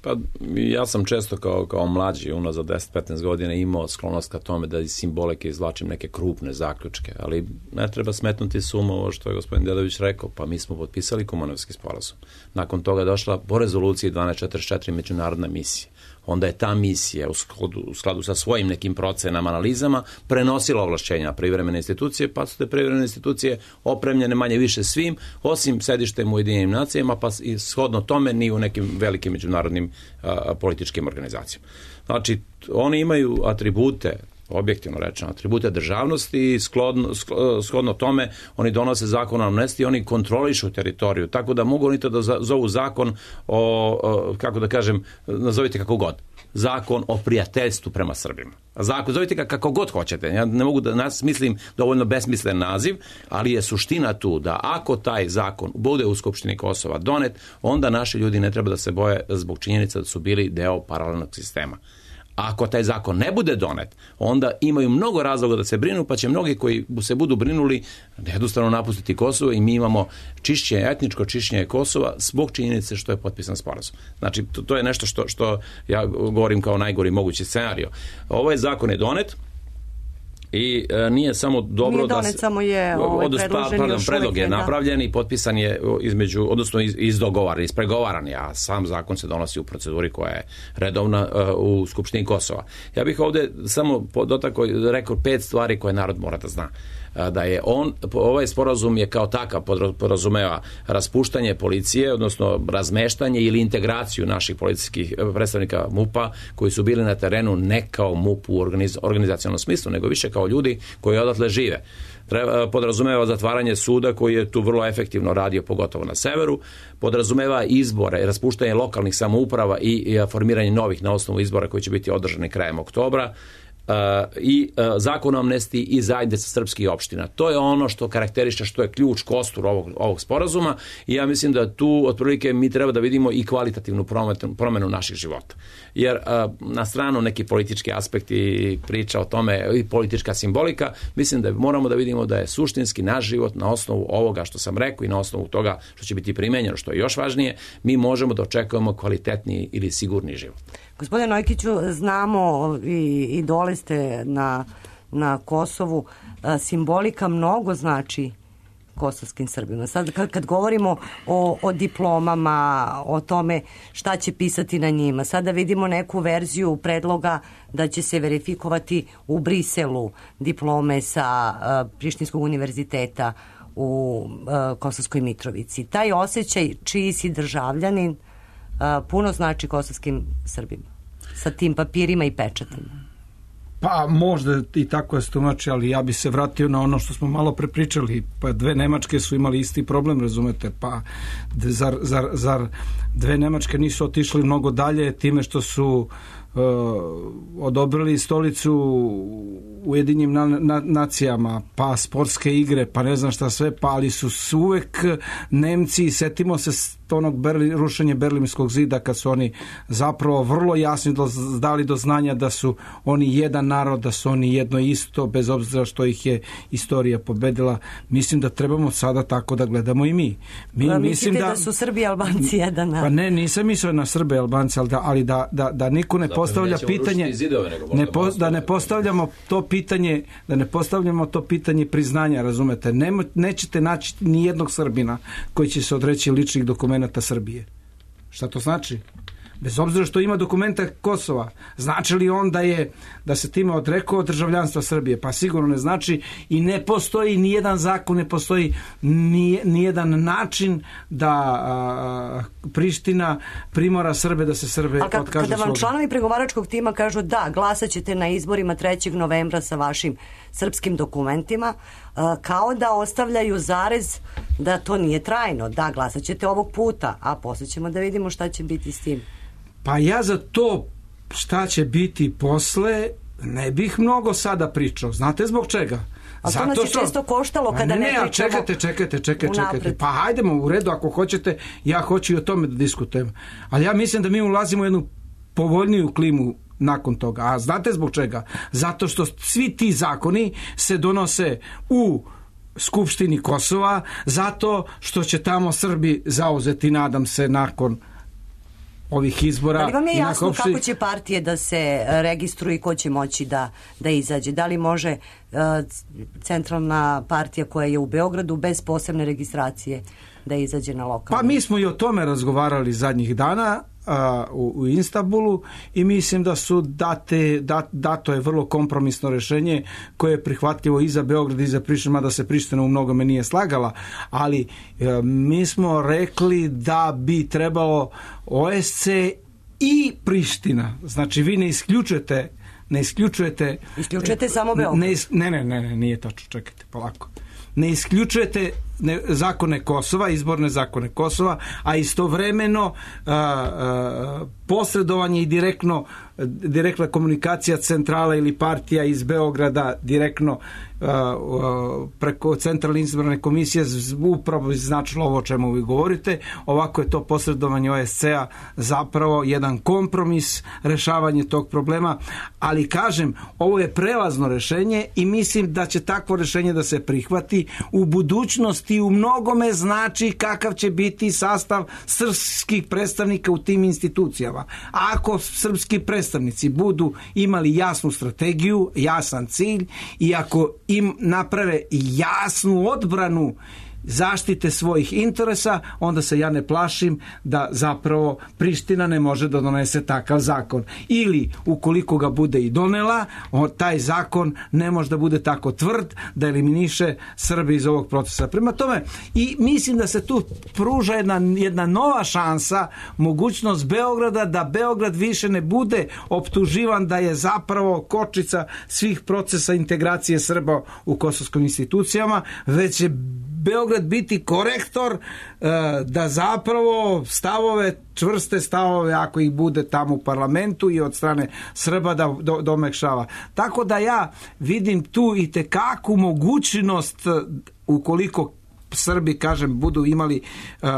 Pa ja sam često kao, kao mlađi, unazad deset do petnaest godina imao sklonost ka tome da iz simbolike izvlačim neke krupne zaključke, ali ne treba smetnuti suma ovo što je gospodin Dedović rekao, pa mi smo potpisali Kumanovski sporazum. Nakon toga je došla po rezoluciji dvanaest četrdeset četiri međunarodna misija. Onda je ta misija u skladu, u skladu sa svojim nekim procenama, analizama prenosila ovlašćenja privremene institucije, pa su te privremene institucije opremljene manje više svim, osim sedištem u Ujedinjenim nacijama, pa i shodno tome ni u nekim velikim međunarodnim a, političkim organizacijama. Znači, oni imaju atribute, objektivno rečeno, atribute državnosti i sklodno, shodno tome oni donose zakon o amnestiji, oni kontrolišu teritoriju, tako da mogu oni to da zovu zakon o, o kako da kažem, nazovite kako god, zakon o prijateljstvu prema Srbima. Zakon, zovite ga kako god hoćete, ja ne mogu da nas mislim dovoljno besmislen naziv, ali je suština tu da ako taj zakon bude u Skupštini Kosova donet, onda naši ljudi ne treba da se boje zbog činjenica da su bili deo paralelnog sistema. Ako taj zakon ne bude donet, onda imaju mnogo razloga da se brinu, pa će mnogi koji se budu brinuli jednostavno napustiti Kosovo i mi imamo čišćenje, etničko čišćenje Kosova zbog činjenice što je potpisan sporazum. Znači, to, to je nešto što, što ja govorim kao najgori mogući scenario. Ovaj zakon je donet i e, nije samo dobro nije donet, da se... samo je ovaj, odnosno, predložen pardon, još predlog je da. napravljen i potpisan je između, odnosno iz, izdogovaran, ispregovaran, a sam zakon se donosi u proceduri koja je redovna uh, u Skupštini Kosova. Ja bih ovdje samo dotakao, rekao pet stvari koje narod mora da zna. Da je on, ovaj sporazum je kao takav podrazumeva raspuštanje policije, odnosno razmeštanje ili integraciju naših policijskih predstavnika MUP-a koji su bili na terenu ne kao MUP u organiz, organizacionalnom smislu, nego više kao ljudi koji odatle žive. Treba, podrazumeva zatvaranje suda koji je tu vrlo efektivno radio, pogotovo na severu, podrazumeva izbore i raspuštanje lokalnih samouprava i, i formiranje novih na osnovu izbora koji će biti održani krajem oktobra. Uh, i uh, zakon o amnestiji i zajednica srpskih opština. To je ono što karakteriše, što je ključ, kostur ovog, ovog sporazuma i ja mislim da tu otprilike mi treba da vidimo i kvalitativnu promenu, promenu naših života. Jer uh, na stranu neki politički aspekti priča o tome i politička simbolika, mislim da moramo da vidimo da je suštinski naš život na osnovu ovoga što sam rekao i na osnovu toga što će biti primenjeno, što je još važnije, mi možemo da očekujemo kvalitetniji ili sigurni život. Gospodine Nojkiću, znamo i, i dole ste na, na Kosovu, a, simbolika mnogo znači kosovskim Srbima. Sad kad, kad govorimo o, o diplomama, o tome šta će pisati na njima, sada vidimo neku verziju predloga da će se verifikovati u Briselu diplome sa a, Prištinskog univerziteta u a, Kosovskoj Mitrovici. Taj osjećaj čiji si državljanin a, puno znači kosovskim Srbima sa tim papirima i pečatima. Pa možda i tako je stumači, ali ja bi se vratio na ono što smo malo prepričali. Pa dve Nemačke su imali isti problem, razumete, pa zar, zar, zar dve Nemačke nisu otišli mnogo dalje time što su odobrili stolicu Ujedinjenim na, na, nacijama, pa sportske igre, pa ne znam šta sve, pa ali su uvek Nemci, setimo se onog Berli, rušenja Berlinskog zida, kad su oni zapravo vrlo jasno dali do znanja da su oni jedan narod, da su oni jedno isto, bez obzira što ih je istorija pobedila. Mislim da trebamo sada tako da gledamo i mi. Mi pa, mislim da, da su Srbi i Albanci jedan narod. Pa ne, nisam mislio na Srbe i Albanci, ali da, ali da, da, da niko ne Zapravo, postavlja pitanje zidove, ne po, da ne postavljamo to pitanje da ne postavljamo to pitanje priznanja, razumete? Ne, nećete naći ni jednog Srbina koji će se odreći ličnih dokumenata Srbije. Šta to znači? Bez obzira što ima dokumenta Kosova, znači li on da je da se time odrekao državljanstva Srbije? Pa sigurno ne znači i ne postoji ni jedan zakon, ne postoji ni, ni jedan način da a, Priština primora Srbe da se Srbe kad, otkažu kada vam sloga. Članovi pregovaračkog tima kažu da, glasat ćete na izborima trećeg novembra sa vašim srpskim dokumentima, a, kao da ostavljaju zarez da to nije trajno, da glasat ćete ovog puta, a posle ćemo da vidimo šta će biti s tim. Pa ja za to šta će biti posle ne bih mnogo sada pričao. Znate zbog čega? A to nas je što... često koštalo kada ne, ne, ne pričamo. Čekajte, čekajte, čekajte, čekajte. Pa hajdemo u redu ako hoćete, ja hoću i o tome da diskutujem. Ali ja mislim da mi ulazimo u jednu povoljniju klimu nakon toga. A znate zbog čega? Zato što svi ti zakoni se donose u Skupštini Kosova, zato što će tamo Srbi zauzeti, nadam se, nakon ovih izbora. Da li vam je jasno opšti... kako će partije da se registruju i ko će moći da, da izađe? Da li može uh, centralna partija koja je u Beogradu bez posebne registracije da izađe na lokalno? Pa mi smo i o tome razgovarali zadnjih dana a, u, u Istanbulu i mislim da su date, dat, dato je vrlo kompromisno rešenje koje je prihvatljivo i za Beograd i za Prištinu, mada se Priština u mnogome nije slagala, ali a, mi smo rekli da bi trebalo O S C i Priština, znači vi ne isključujete ne isključujete isključujete samo Beograd. Ne, ne, ne, ne, ne, nije tačno, čekajte, polako. Ne isključujete ne, zakone Kosova, izborne zakone Kosova, a istovremeno a, a, posredovanje i direktno direktna komunikacija centrala ili partija iz Beograda direktno a, a, preko centralne izborne komisije upravo značilo ovo o čemu vi govorite. Ovako je to posredovanje O S C-a zapravo jedan kompromis, rešavanje tog problema, ali kažem, ovo je prelazno rešenje i mislim da će takvo rešenje da se prihvati u budućnosti. U mnogome znači kakav će biti sastav srpskih predstavnika u tim institucijama. Ako srpski predstavnici budu imali jasnu strategiju, jasan cilj i ako im naprave jasnu odbranu zaštite svojih interesa, onda se ja ne plašim da zapravo Priština ne može da donese takav zakon. Ili, ukoliko ga bude i donela, taj zakon ne može da bude tako tvrd da eliminiše Srbe iz ovog procesa. Prema tome, i mislim da se tu pruža jedna, jedna nova šansa, mogućnost Beograda, da Beograd više ne bude optuživan da je zapravo kočica svih procesa integracije Srba u kosovskim institucijama, već je Beograd biti korektor da zapravo stavove, čvrste stavove, ako ih bude tamo u parlamentu i od strane Srba, da do, domekšava. Tako da ja vidim tu i tekakvu mogućnost, ukoliko Srbi, kažem, budu imali uh,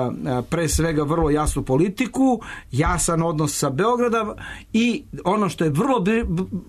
pre svega vrlo jasnu politiku, jasan odnos sa Beogradom i ono što je vrlo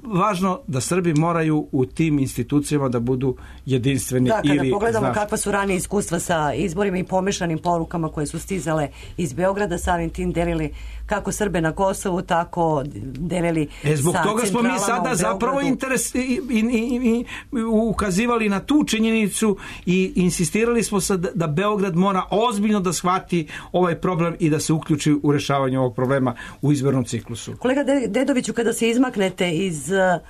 važno, da Srbi moraju u tim institucijama da budu jedinstveni. Da, kada ili, pogledamo znaš, kakva su ranije iskustva sa izborima i pomešanim porukama koje su stizale iz Beograda, samim tim delili kako Srbe na Kosovu, tako delili e, zbog sa toga smo mi sada zapravo interes, i, i, i, i, ukazivali na tu činjenicu i insistirali smo sa da Beograd mora ozbiljno da shvati ovaj problem i da se uključi u rešavanje ovog problema u izbornom ciklusu. Kolega Dedoviću, kada se izmaknete iz uh,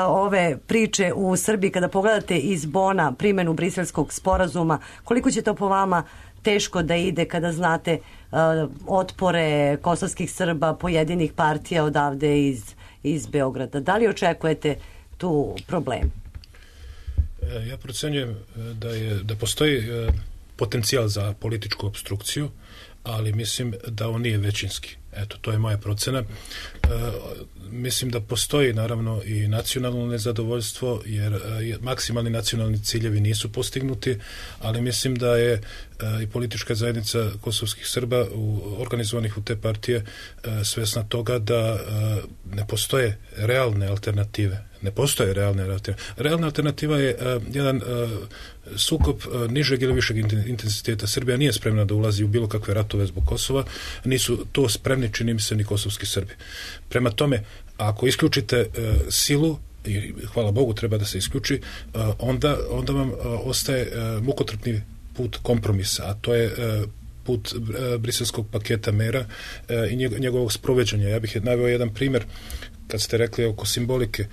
ove priče u Srbiji, kada pogledate iz Bona primjenu Briselskog sporazuma, koliko će to po vama teško da ide kada znate uh, otpore kosovskih Srba, pojedinih partija odavde iz, iz Beograda? Da li očekujete tu problem? Ja procenjujem da, je, da postoji potencijal za političku opstrukciju, ali mislim da on nije većinski. Eto, to je moja procena. E, mislim da postoji naravno i nacionalno nezadovoljstvo, jer e, maksimalni nacionalni ciljevi nisu postignuti, ali mislim da je e, i politička zajednica kosovskih Srba u, organizovanih u te partije e, svesna toga da e, ne postoje realne alternative. Ne postoje realne alternative. Realna alternativa je uh, jedan uh, sukob uh, nižeg ili višeg intenziteta. Srbija nije spremna da ulazi u bilo kakve ratove zbog Kosova, nisu to spremni, čini mi se, ni kosovski Srbi. Prema tome, ako isključite uh, silu, i hvala Bogu treba da se isključi, uh, onda, onda vam uh, ostaje uh, mukotrpni put kompromisa, a to je uh, put uh, briselskog paketa mera uh, i njegovog sproveđanja. Ja bih naveo jedan primjer. Kad ste rekli oko simbolike,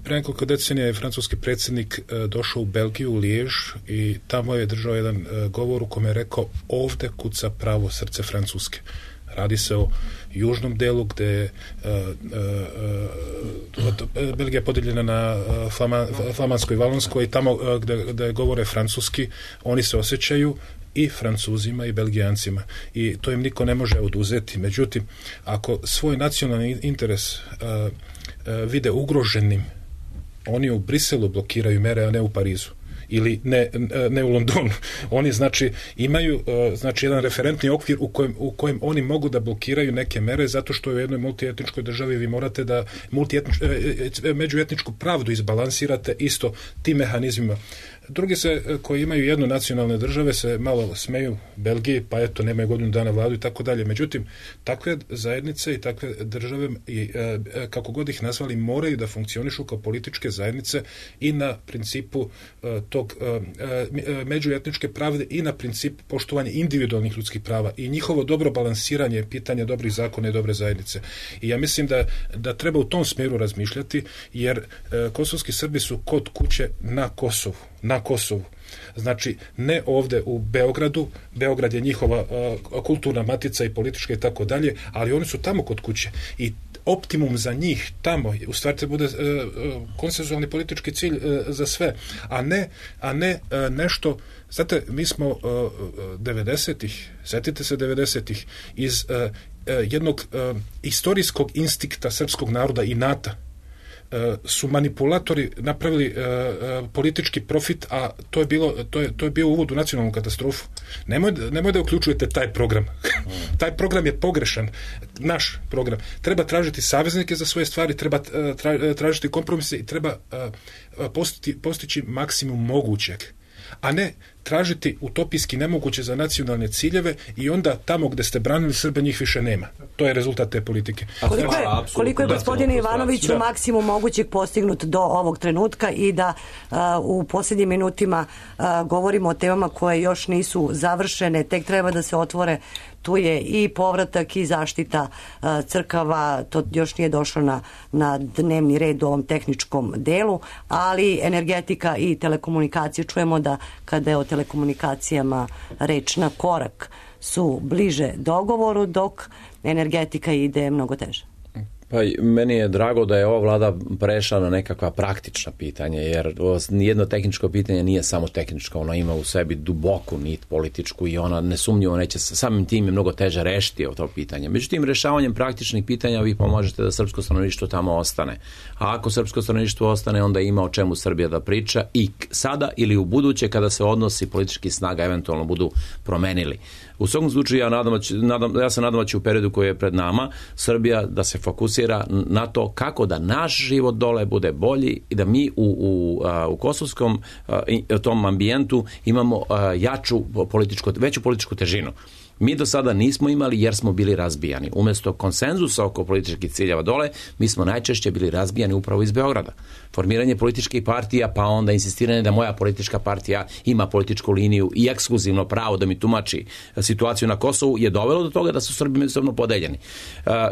pre nekoliko decenija je francuski predsjednik došao u Belgiju, u Lijež, i tamo je držao jedan govor u kome je rekao: ovde kuca pravo srce Francuske. Radi se o južnom delu gde je Belgija podijeljena na Flama, Flamansko i Valonsko, i tamo gde, gde govore francuski, oni se osjećaju i Francuzima i Belgijancima, i to im niko ne može oduzeti. Međutim, ako svoj nacionalni interes uh, uh, vide ugroženim, oni u Briselu blokiraju mere, a ne u Parizu, ili ne, ne u Londonu. Oni znači imaju uh, znači jedan referentni okvir u kojem, u kojem oni mogu da blokiraju neke mere, zato što u jednoj multietničkoj državi vi morate da međuetničku pravdu izbalansirate isto tim mehanizmima. Drugi se, koji imaju jedno nacionalne države, se malo smeju Belgiji, pa eto, nemaju godinu dana vladu i tako dalje. Međutim, takve zajednice i takve države, i, e, kako god ih nazvali, moraju da funkcionišu kao političke zajednice i na principu e, tog e, e, međuetničke pravde i na principu poštovanja individualnih ljudskih prava, i njihovo dobro balansiranje pitanja dobrih zakona i dobre zajednice. I ja mislim da, da treba u tom smjeru razmišljati, jer e, kosovski Srbi su kod kuće na Kosovu. Na Kosovu. Znači, ne ovde u Beogradu, Beograd je njihova uh, kulturna matica i politička i tako dalje, ali oni su tamo kod kuće. I optimum za njih tamo, u stvari te bude uh, konsenzualni politički cilj uh, za sve, a ne, a ne uh, nešto. Znate, mi smo uh, devedesetih, setite se devedesetih, iz uh, uh, jednog uh, istorijskog instinkta srpskog naroda i inata su manipulatori napravili uh, politički profit, a to je bilo to je, to je bio uvod u nacionalnu katastrofu. Nemoj, nemoj da uključujete taj program. Taj program je pogrešan. Naš program. Treba tražiti saveznike za svoje stvari, treba tra, tražiti kompromise i treba uh, postići, postići maksimum mogućeg, a ne tražiti utopijski nemoguće za nacionalne ciljeve, i onda tamo gde ste branili Srbe njih više nema. To je rezultat te politike. Koliko je, koliko je gospodine Ivanoviću da. maksimum mogućeg postignut do ovog trenutka, i da uh, u posljednjim minutima uh, govorimo o temama koje još nisu završene, tek treba da se otvore. Tu je i povratak i zaštita uh, crkava, to još nije došlo na, na dnevni red u ovom tehničkom delu, ali energetika i telekomunikacije. Čujemo da kada je o telekomunikacijama reč, na korak su bliže dogovoru, dok energetika ide mnogo teže. Pa meni je drago da je ova vlada prešla na nekakva praktična pitanja, jer nijedno tehničko pitanje nije samo tehničko, ono ima u sebi duboku nit političku, i ona nesumnjivo neće, samim tim je mnogo teže rešiti to pitanje. Međutim, rešavanjem praktičnih pitanja vi pomožete da srpsko stanovništvo tamo ostane. A ako srpsko stanovništvo ostane, onda ima o čemu Srbija da priča, i sada ili u buduće, kada se odnosi političkih snaga eventualno budu promenili. U svakom slučaju ja, nadam, nadam, ja se nadam da će u periodu koji je pred nama Srbija da se fokusira na to kako da naš život dole bude bolji, i da mi u, u, u kosovskom tom ambijentu imamo jaču političku, veću političku težinu. Mi do sada nismo imali, jer smo bili razbijani. Umesto konsenzusa oko političkih ciljeva dole, mi smo najčešće bili razbijani upravo iz Beograda. Formiranje političkih partija, pa onda insistiranje da moja politička partija ima političku liniju i ekskluzivno pravo da mi tumači situaciju na Kosovu, je dovelo do toga da su Srbi međusobno podeljeni.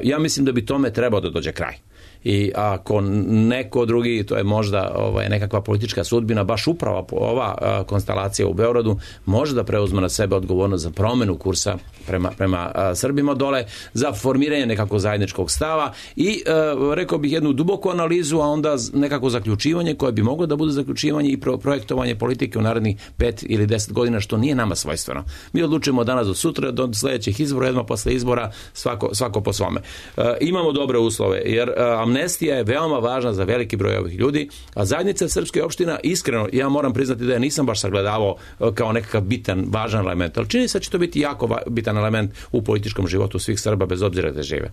Ja mislim da bi tome trebao da dođe kraj. i ako neko drugi, to je možda ovaj, nekakva politička sudbina, baš upravo ova a, konstelacija u Beogradu može da preuzme na sebe odgovornost za promenu kursa prema, prema a, Srbima dole, za formiranje nekako zajedničkog stava i a, rekao bih jednu duboku analizu, a onda nekako zaključivanje koje bi moglo da bude zaključivanje i pro, projektovanje politike u narednih pet ili deset godina, što nije nama svojstveno. Mi odlučujemo danas do sutra, do sledećih izbora, jedno posle izbora, svako, svako po svome. E, imamo dobre uslove, jer e, amnestija je veoma važna za veliki broj ovih ljudi, a zajednica srpske opština, iskreno, ja moram priznati da ja nisam baš sagledavao e, kao nekakav bitan, važan element, ali čini se da će to biti jako va, bitan element u političkom životu svih Srba, bez obzira gde žive.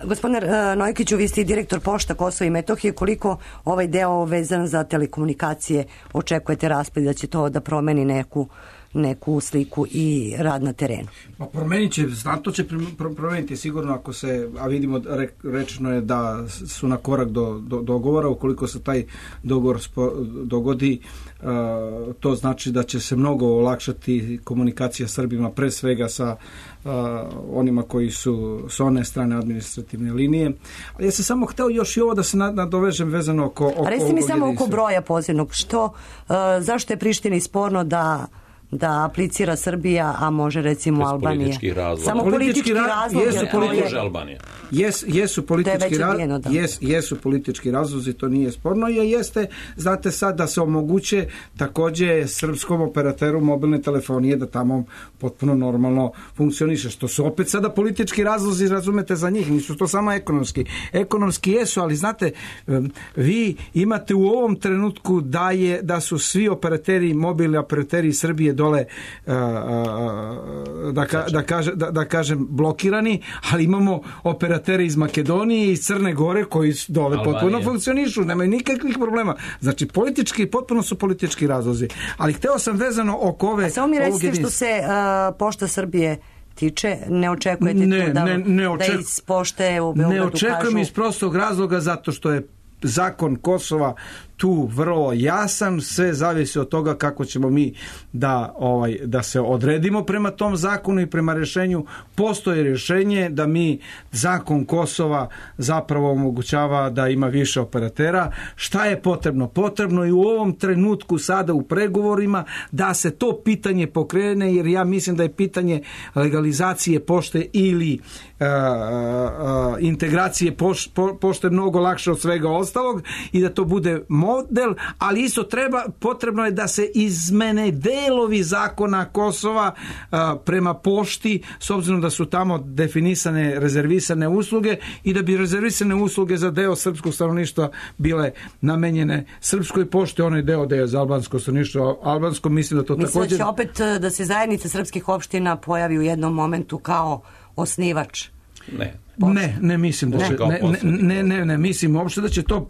Gospodine Nojkiću, vi ste direktor Pošta Kosova i Metohije. Koliko ovaj deo vezan za telekomunikacije očekujete raspad, da će to da promeni neku neku sliku i rad na terenu? Pa promenit će, znatno će promeniti sigurno ako se, a vidimo, rečeno je da su na korak do, do dogovora, ukoliko se taj dogovor spo, dogodi, uh, to znači da će se mnogo olakšati komunikacija Srbima, pre svega sa uh, onima koji su s one strane administrativne linije. Ali ja sam samo hteo još i ovo da se nadovežem vezano oko... oko a resti mi samo oko broja pozivnog. Što, uh, zašto je Prištini sporno da da aplicira Srbija, a može recimo Albanija? Politički razlog. Samo politički razlog. Jesu politički Albanija. Jes, jesu politički razlozi, jes, jesu politički razlozi, to nije sporno, i jeste, znate sad, da se omoguće takođe srpskom operateru mobilne telefonije da tamo potpuno normalno funkcioniše, što su opet sada politički razlozi, razumete, za njih, nisu to samo ekonomski. Ekonomski jesu, ali znate, vi imate u ovom trenutku da je da su svi operateri, mobilni operateri Srbije dole uh, uh, da, ka, da, kaže, da, da kažem blokirani, ali imamo operateri iz Makedonije i Crne Gore koji dole Albanije potpuno funkcionišu, nemaju nikakvih problema. Znači politički, potpuno su politički razlozi. Ali hteo sam vezano oko ove... A samo mi recite što se uh, Pošta Srbije tiče, ne očekujete ne, tu da, ne, ne oček... da iz Pošte u Beogradu kažu... Ne očekujem kažu... iz prostog razloga zato što je zakon Kosova tu vrlo jasan, sve zavisi od toga kako ćemo mi da ovaj da se odredimo prema tom zakonu i prema rešenju. Postoji rešenje da mi zakon Kosova zapravo omogućava da ima više operatera. Šta je potrebno? Potrebno je u ovom trenutku sada u pregovorima da se to pitanje pokrene, jer ja mislim da je pitanje legalizacije pošte ili uh, uh, integracije poš, po, pošte mnogo lakše od svega ostalog i da to bude model, ali isto treba, potrebno je da se izmene delovi zakona Kosova a, prema pošti, s obzirom da su tamo definisane rezervisane usluge i da bi rezervisane usluge za deo srpskog stanovništva bile namenjene srpskoj pošti, onaj deo da je za albansko stanovništvo albansko, mislim da to mislim također... Mislim da će opet da se zajednica srpskih opština pojavi u jednom momentu kao osnivač. Ne. Ne, ne mislim da će, ne, ne, ne, ne, ne, mislim uopšte da će to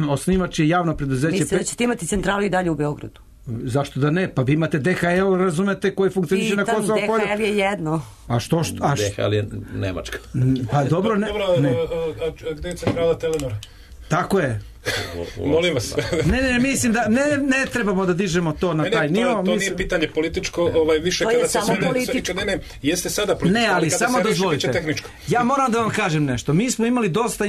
osnivač je javno preduzeće. Mislite da ćete imati centralu i dalje u Beogradu? Zašto da ne? Pa vi imate D H L, razumete, koji funkcioniše na Kosovo polju. D H L je jedno. A što? što a D H L je Nemačka. Pa dobro, ne. Dobro, ne. A, a gde je centrala Telenora? Tako je. Molim vas. ne, ne, mislim da ne, ne trebamo da dižemo to na ne, taj nivo. To, to mislim... nije pitanje političko, ovaj, više to kada se samo sve... političko. Ne, ne, jeste sada političko, ne, ali, ali kada samo se dozvolite. reši, tehničko. Ja moram da vam kažem nešto. Mi smo imali dosta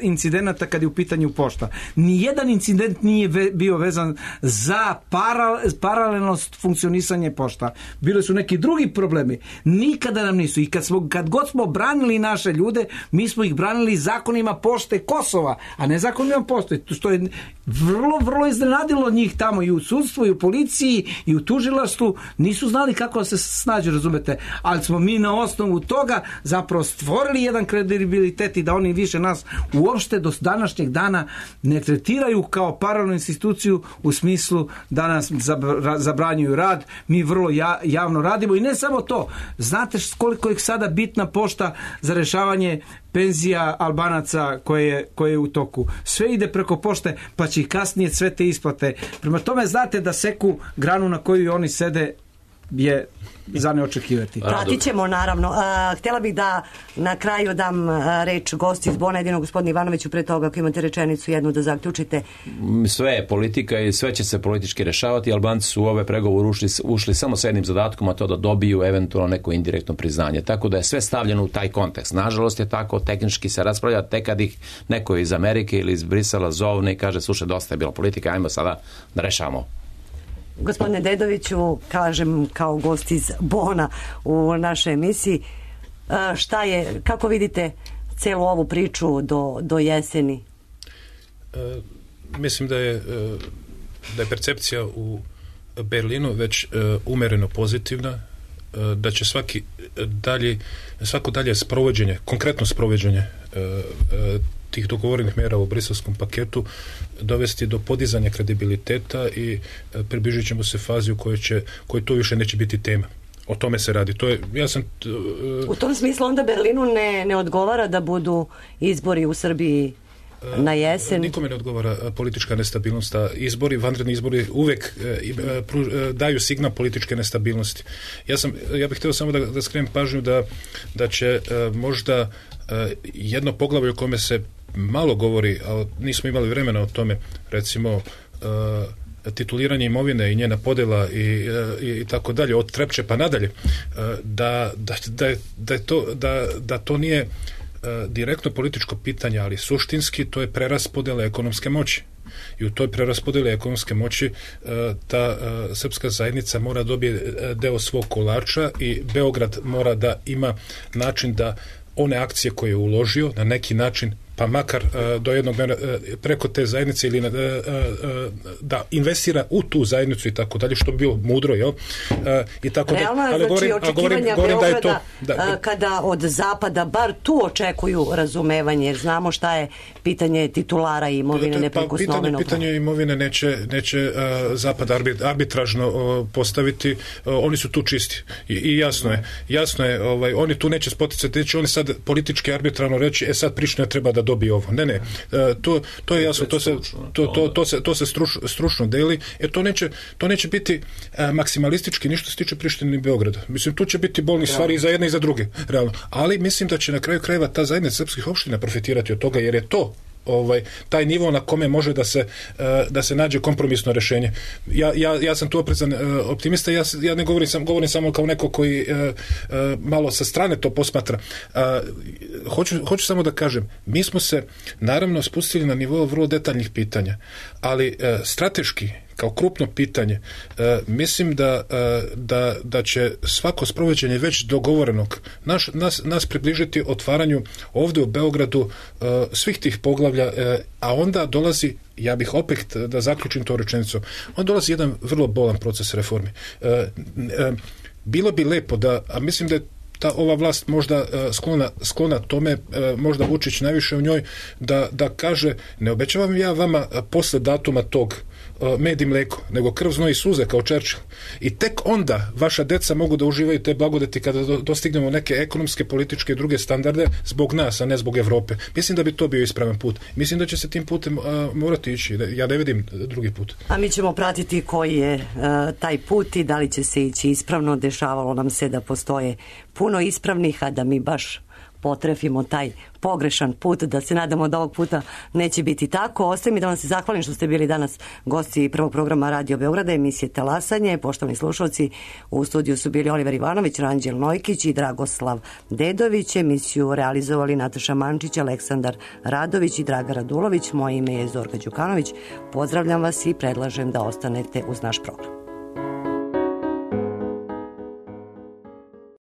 incidenata kad je u pitanju pošta. Nijedan incident nije ve, bio vezan za para, paralelnost funkcionisanje pošta. Bili su neki drugi problemi. Nikada nam nisu. I kad, smo, kad god smo branili naše ljude, mi smo ih branili zakonima pošte Kosova, a ne zakonima pošte. Što je vrlo, vrlo iznenadilo njih tamo i u sudstvu, i u policiji, i u tužilaštvu. Nisu znali kako se snađu, razumete. Ali smo mi na osnovu toga zapravo stvorili jedan kredibilitet i da oni više nas uopšte do današnjeg dana ne tretiraju kao paralelnu instituciju u smislu da nas zabranjuju rad. Mi vrlo ja, javno radimo i ne samo to. Znate koliko je sada bitna pošta za rešavanje penzija Albanaca koje je, koje je u toku. Sve ide preko pošte, pa će i kasnije sve te isplate. Prema tome, znate da seku granu na koju oni sede je za neočekivati. Pratit ćemo, naravno. A, htjela bih da na kraju dam a, reč gosti iz Bona, jedino gospodin Ivanoviću, pre toga ako imate rečenicu jednu da zaključite. Sve je politika i sve će se politički rešavati. Albanci su u ove pregovore ušli, ušli samo s jednim zadatkom, a to da dobiju eventualno neko indirektno priznanje. Tako da je sve stavljeno u taj kontekst. Nažalost je tako, tehnički se raspravlja, tek kad ih neko iz Amerike ili iz Brisela zovne i kaže, slušaj, dosta je bila politika, ajmo sada da rešavamo. Gospodine Dedoviću, kažem kao gost iz Bona u našoj emisiji, šta je, kako vidite celu ovu priču do, do jeseni? E, mislim da je, da je percepcija u Berlinu već e, umereno pozitivna, e, da će svaki dalje, svako dalje sprovođenje, konkretno sprovođenje e, e, tih dogovorenih mjera u briselskom paketu dovesti do podizanja kredibiliteta i e, približit ćemo se fazi u kojoj će, kojoj to više neće biti tema. O tome se radi. To je, ja sam, uh, u tom smislu onda Berlinu ne, ne odgovara da budu izbori u Srbiji na jesen? Nikome ne odgovara politička nestabilnost, a izbori, vanredni izbori uvek uh, pruž, uh, daju signal političke nestabilnosti. Ja sam, ja bih htio samo da, da skrenem pažnju da, da će uh, možda uh, jedno poglavlje o kome se malo govori, ali nismo imali vremena o tome, recimo uh, tituliranje imovine i njena podjela i, i, i tako dalje, od Trepče pa nadalje, da, da, da, je, da, je to, da, da to nije direktno političko pitanje, ali suštinski to je preraspodjela ekonomske moći. I u toj preraspodjeli ekonomske moći ta srpska zajednica mora dobije deo svog kolača i Beograd mora da ima način da one akcije koje je uložio na neki način, pa makar uh, do jednog uh, preko te zajednice ili uh, uh, da investira u tu zajednicu i tako dalje, što bi bilo mudro, jel? Uh, i tako da, realno je, znači, govorim, očekivanja govorim, Beograda, da je to, da, uh, kada od zapada bar tu očekuju razumevanje, jer znamo šta je pitanje titulara i imovine neprikosnovenog. Pa, pitanje, pitanje imovine neće, neće uh, zapad arbit, arbitražno uh, postaviti, uh, oni su tu čisti. I, i jasno je, jasno je, ovaj, oni tu neće spoticati, neće oni sad politički arbitrarno reći, e sad Priština treba da dobije ovo. Ne, ne, to, to je jasno, to se, to, to, to se, to se struč, stručno deli, jer to neće, to neće biti a, maksimalistički ništa se tiče Prištine i Beograda. Mislim, tu će biti bolni stvari i za jedne i za druge, realno. Ali mislim da će na kraju krajeva ta zajednica srpskih opština profitirati od toga, jer je to ovaj taj nivo na kome može da se uh, da se nađe kompromisno rješenje. Ja, ja, ja sam tu oprezan uh, optimista, ja, ja ne govorim sam govorim samo kao neko koji uh, uh, malo sa strane to posmatra. Uh, hoću, hoću samo da kažem, mi smo se naravno spustili na nivo vrlo detaljnih pitanja, ali uh, strateški kao krupno pitanje, e, mislim da, e, da, da će svako sprovođenje već dogovorenog naš, nas, nas približiti otvaranju ovdje u Beogradu e, svih tih poglavlja, e, a onda dolazi, ja bih opet da zaključim to rečenicu, onda dolazi jedan vrlo bolan proces reformi. E, e, bilo bi lepo da, a mislim da je ta ova vlast možda uh, sklona, sklona tome, uh, možda Vučić najviše u njoj, da, da kaže, ne obećavam ja vama uh, posle datuma tog uh, med i mleko, nego krv, znoj i suze kao Churchill. I tek onda vaša deca mogu da uživaju te blagodeti kada do, dostignemo neke ekonomske, političke i druge standarde zbog nas, a ne zbog Evrope. Mislim da bi to bio ispravan put. Mislim da će se tim putem uh, morati ići. Ja ne vidim drugi put. A mi ćemo pratiti koji je uh, taj put i da li će se ići ispravno. Dešavalo nam se da postoje puno ispravnih, a da mi baš potrefimo taj pogrešan put, da se nadamo da ovog puta neće biti tako. Ostaje mi da vam se zahvalim što ste bili danas gosti prvog programa Radio Beograda, emisije Talasanje. Poštovani slušalci, u studiju su bili Oliver Ivanović, Ranđel Nojkić i Dragoslav Dedović. Emisiju realizovali Nataša Mančić, Aleksandar Radović i Draga Radulović. Moje ime je Zorka Đukanović. Pozdravljam vas i predlažem da ostanete uz naš program.